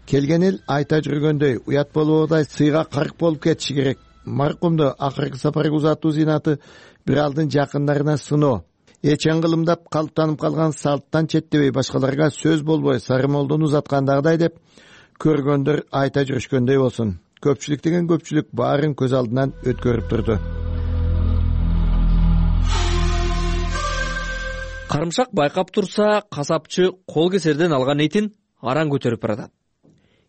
Келген эл айта жүргөндөй, уят болбогудай сыйга карк болуп кетиши керек. Маркумду акыркы сапарга узатуу зыйнаты бир алдын жакындарына сыноо. Эчен кылымдап калыптанып калган салттан четтебей башкаларга сөз болбой Сарымолдону узаткандагыдай деп көргөндөр айта жүрүшкөндөй болсун. Көпчүлүк деген көпчүлүк баарын көз алдынан өткөрүп турду. Карымшак байкап турса, касапчы кол кесерден алган этин аран көтөрүп баратат.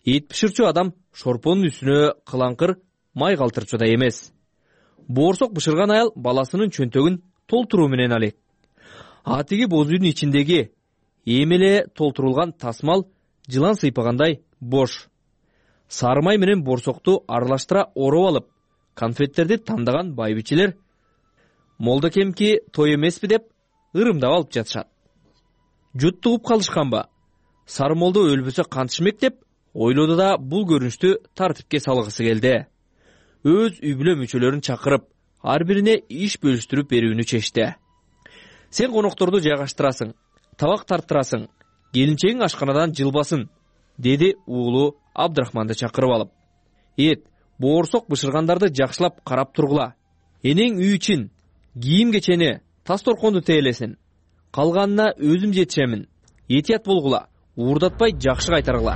Эт бышырчу адам шорпонун үстүнө кылаңкыр май калтырчу да эмес. Боорсок бышырган аял баласынын чөнтөгүн толтуруу менен алет. Атиги боз үйдүн ичиндеги эмеле толтурулган тасмал жылан сыйпагандай бош. Сары май менен боорсокту аралаштыра ороп алып, конфеттерди тандаган байбичелер молдокемки той эмеспи деп ырымдап алып жатышат. Жут тугуп калышканбы? Сарымолдо өлбөсө кантышмек деп ойлоду да бул көрүнүштү тартипке салгысы келди. Өз үй бүлө мүчөлөрүн чакырып, ар бирине иш бөлүштүрүп берүүнү чечти. Сен конокторду жайгаштырасың, табак тарттырасың, келинчегиң ашканадан жылбасын, деди уулу Абдрахманды чакырып алып. Эт, боорсок бышыргандарды жакшылап карап тургула. Энең үй ичин, кийим кечени, тас торконду тейлесин. Калганына өзүм жетишемин. Этият болгула, уурдатпай жакшы кайтаргыла.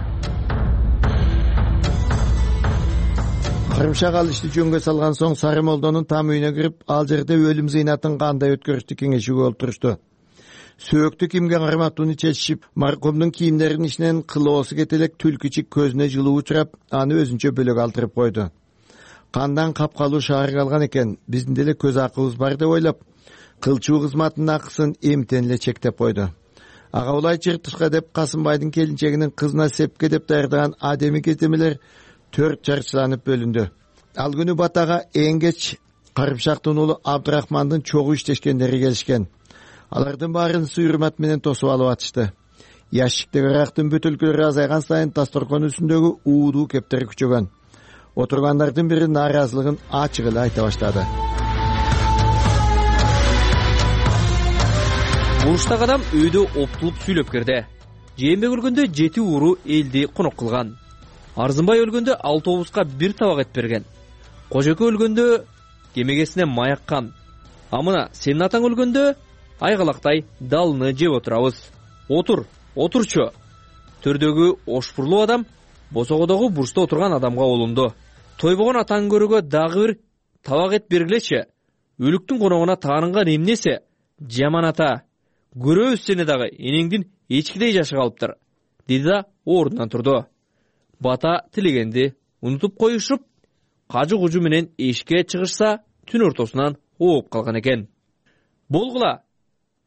Карымшак ал ишти жөнгө салган соң Сарымолдонун там үйүнө кирип, ал жерде өлүм зыйнатын кандай өткөрүштү кеңешүүгө олтурушту. Сөөктү кимге карматууну чечишип, маркумдун кийимдеринин ичинен кылоосу кетелек түлкүчүк көзүнө жылуу учурап, аны өзүнчө бөлөк алтырып койду. Кандан капкалуу шаарга алган экен, биздин деле көз акыбыз бар деп ойлоп, кылчуу кызматынын акысын эмтен эле чектеп койду. Ага улай чыртышка деп Касымбайдын келинчегинин кызына сепке деп даярдаган адеми кездемелер 4 чарчыланып бөлүндү. Ал күнү батага эң кеч Карымшактын уулу Абдрахмандын чогуу иштешкендери келишкен. Алардын баарын сый-урмат менен тосуп алып атышты. Ящиктеги арактын бөтөлкөлөрү азайган сайын тасторкон үстүндөгү уудуу кептер күчөгөн. Отургандардын бири нааразылыгын ачык эле айта баштады. Буруштагы адам өйдө оптулуп сүйлөп кирди. Жээнбек өлгөндө 7 ууру элди конок кылган. Арзымбай өлгөндө 6 обузга 1 табак эт берген. Кожоке өлгөндө кемегесине маяккан. А мына сенин атаң өлгөндө айгалактай далыны жеп отурабыз. Отурчу. Төрдөгү ошпурлуу адам босогодогу бурчта отурган адамга олунду. Тойбогон атаң көрүүгө дагы бир табак эт бергилечи. Өлүктүн коногуна таарынган эмнеси? Жаман ата. Көрөбүз сени дагы, энеңдин эчкидей жашы калыптыр, деди да ордунан турду. Бата тилегенди унутуп коюшуп, кажы-кужу менен эшикке чыгышса, түн ортосунан ооп калган экен. Болгула,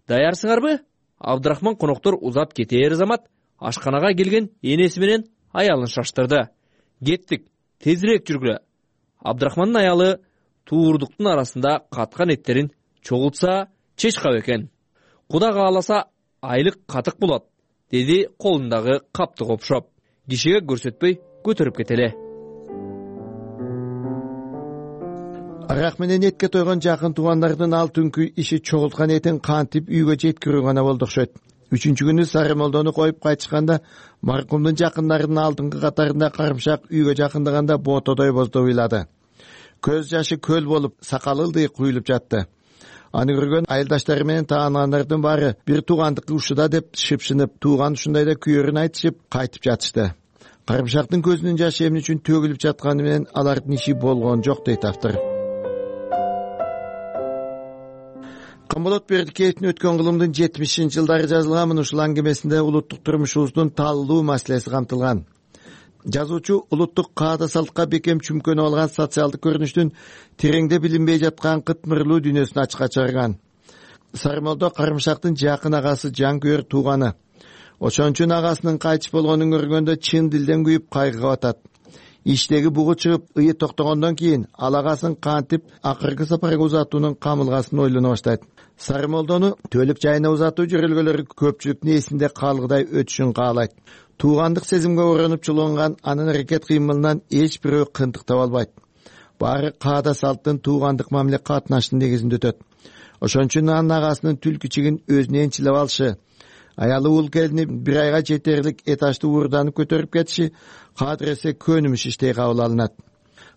даярсыңарбы? Абдрахман коноктор узап кетээр замат ашканага келген энеси менен аялын шаштырды. Кеттик, тезирээк жүргүлө. Абдрахмандын аялы туурдуктун арасында каткан эттерин чогултса чечкап экен. Кудай кааласа айлык катык болот, деди колундагы капты копшоп. Кишиге көрсөтпөй көтөрүп кетеле. Арак менен этке тойгон жакын туугандардын ал түнкү иши чогулткан этин кантип үйгө жеткирүү гана болду окшойт. 3-күнү Сарымолдону коюп кайтышканда маркумдун жакындарынын алдыңкы катарында Карымшак үйгө жакындаганда ботодой боздо ыйлады. Көз жашы көл болуп, сакалы ылдый куюлуп жатты. Аны көргөн айылдаштары менен тааныгандардын баары бир туугандыкы ушуда деп шыпшынып, тууган ушундайда күйөрүн айтышып кайтып жатышты. Карымшактын көзүнүн жашы эмне үчүн төгүлүп жатканы менен алардын иши болгон жок дейт автор. Камболот Бердикеевдин өткөн кылымдын 70-жылдары жазылган ушул аңгемесинде улуттук турмушубуздун таалуу маселеси камтылган. Жазуучу улуттук каада салтка бекем чүмкөнүп алган социалдык көрүнүштүн тереңде билинбей жаткан кытмырлуу дүйнөсүн ачыкка чыгарган. Сарымолдо Карымшактын жакын агасы жанкүйөр тууганы. Ошон үчүн агасынын кайтыш болгонун көргөндө чын дилден күйүп кайгыга батат. Иштеги бугу чыгып, ые токтогондон кийин ал агасын кантип акыркы сапарга узатуунун камылгасын ойлоно баштайт. Сарымолдону төлөк жайына узатуу жөрөлгөлөрү көпчүлүктүн эсинде калгыдай өтүшүн каалайт. Туугандык сезимге оронуп чулунган анын аракет кыймылынан эч бирөө кынтык таба албайт. Баары каада салттын туугандык мамиле катнаштын негизинде өтөт. Ошон үчүн анын агасынын түлкүчигин өзүнө энчилеп алышы, аялы ул келини бир айга жетерлик этажды уурданып көтөрүп кетиши кадыр эсе көнүмүш иштей кабыл алынат.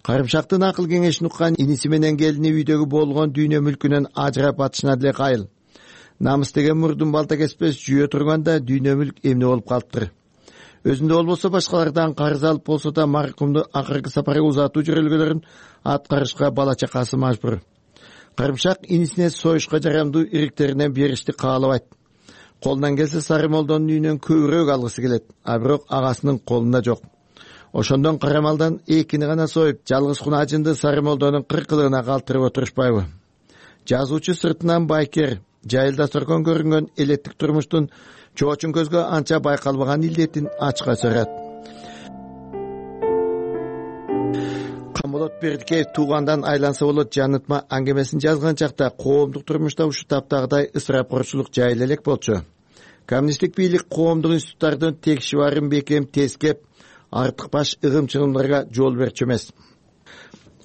Карымшактын акыл кеңешин уккан иниси менен келини үйдөгү болгон дүйнө мүлкүнөн ажырап атышына деле кайыл. Намыс деген мурдун балта кеспес жүйө турганда дүйнө мүлк эмне болуп калыптыр. Өзүндө болбосо башкалардан карыз алып болсо да маркумду акыркы сапарга узатуу жөрөлгөлөрүн аткарышка бала чакасы мажбур. Карымшак инисине союшка жарамдуу ириктеринен беришти каалабайт. Колунан келсе Сарымолдонун үйүнөн көбүрөөк алгысы келет, а бирок агасынын колунда жок. Ошондон карамалдан экини гана союп, жалгыз кунажынды Сарымолдонун кыркылыгына калтырып отурушпайбы? Жазуучу сыртынан байкер, жайылда соркон көрүнгөн элеттик турмуштун чоочун көзгө анча байкалбаган илдетин ачка чыгарат. Камболот Бердикеев туугандан айланса болот жанытма аңгемесин жазган чакта коомдук турмушта ушу таптагыдай ысырапкорчулук жайыла элек болчу. Коммунисттик бийлик коомдук институттардын текшибарын бекем тескеп, артык баш ыгым-чыгымдарга жол берчү эмес.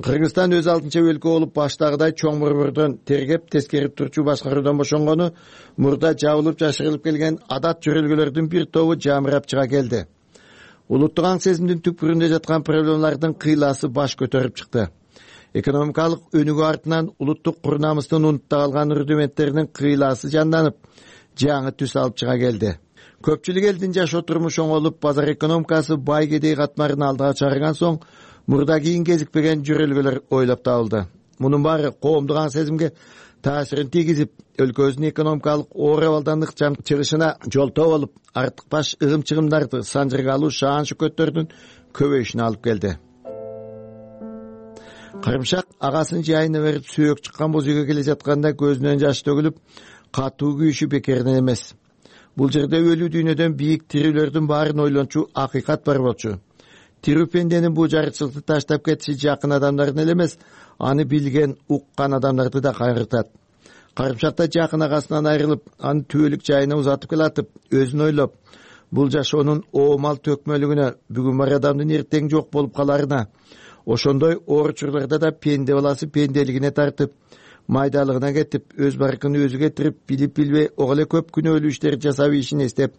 Кыргызстан өз алдынча өлкө болуп баштагыдай чоң борбордон тергеп тескерип турчу башкаруудан бошонгону мурда жабылып жашырылып келген адат жөрөлгөлөрдүн бир тобу жамырап чыга келди. Улуттук аң сезимдин түпкүрүндө жаткан проблемалардын кыйласы баш көтөрүп чыкты. Экономикалык өнүгүү артынан улуттук кур намыстын унутта калган рудименттеринин кыйласы жанданып, жаңы түс алып чыга келди. Көпчүлүк элдин жашоо турмушу оңолуп, базар экономикасы бай кедей катмарын алдыга чыгарган соң, мурда кийин кезикпеген жөрөлгөлөр ойлоп табылды. Мунун баары коомдук аң сезимге таасирин тийгизип, өлкөбүздүн экономикалык оор абалдандык чыгышына жолтоо болуп, артык баш ыгым-чыгымдарды санжыргалуу шаан шөкөттөрдүн көбөйүшүнө алып келди. Карымшак агасынын жайына берип сөөк чыккан боз үйгө келе жатканда көзүнөн жаш төгүлүп, катуу күйүшү бекерден эмес. Бул жерде өлүү дүйнөдөн бийик тирүүлөрдүн баарын ойлончу акыйкат бар болчу. Тирүү пенденин бул жарычылыкты таштап кетиши жакын адамдарын эле эмес, аны билген, уккан адамдарды да кайгыртат. Карымшакта жакын агасынан айрылып, аны түбөлүк жайына узатып келатып, өзүн ойлоп, бул жашоонун оомал төкмөлүгүнө, бүгүн бар адамдын эртең жок болуп каларына, ошондой оор учурларда да пенде баласы пенделигине тартып, майдалыгына кетип, өз баркын өзү кетирип, билип билбей ого эле көп күнөөлүү иштерди жасап ишин эстеп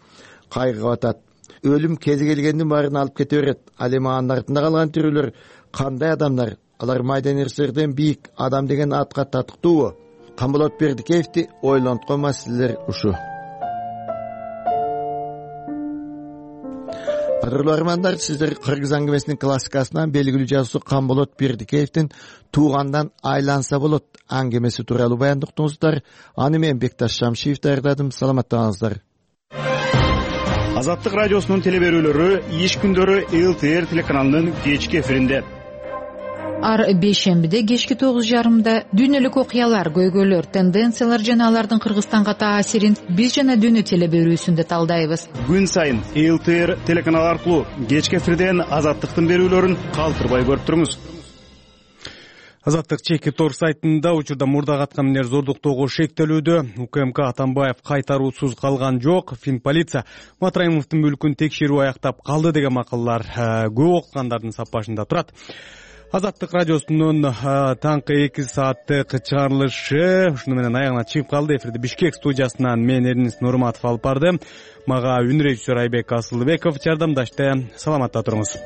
кайгыга батат. Өлүм кези келгендин баарын алып кете берет. Ал эми анын артында калган тирүүлөр кандай адамдар? Алар майдан эрсерден бийик адам деген атка татыктуубу? Камболот Бердикеевди ойлонткон маселелер ушу. Кадырлуу армандар, сиздер кыргыз аңгемесинин классикасынан белгилүү жазуучу Камболот Бердикеевдин туугандан айланса болот аңгемеси тууралуу баяндап уктуңуздар. Аны мен Бекташ Шамшиев даярдадым. Саламаттаңыздар. Азаттык радиосунун теле берүүлөрү иш күндөрү ЛТР телеканалынын кечки эфиринде. Ар бейшембиде кечки 9:30 дүйнөлүк окуялар, көйгөйлөр, тенденциялар жана алардын Кыргызстанга таасирин биз жана дүйнө теле берүүсүндө талдайбыз. Күн сайын ЛТР телеканал аркылуу кечки эфирден Азаттыктын берүүлөрүн калтырбай көрүп туруңуз. Азаттык чеки тор сайтында учурда мурда каткан эмнелер зордуктоого шектелүүдө. УКМК Атамбаев кайтаруусуз калган жок. Финполиция Матраимовдун мүлкүн текшерүү аяктап калды деген макалалар көп окугандардын саппашында турат. Азаттык радиосунун таңкы 2 сааттык чыгарылышы ушуну менен аягына чыгып калды. Эфирди Бишкек студиясынан мен Эрнис Нурматов алып барды. Мага үн режиссер Айбек Асылбеков жардамдашты. Саламатта туруңуз.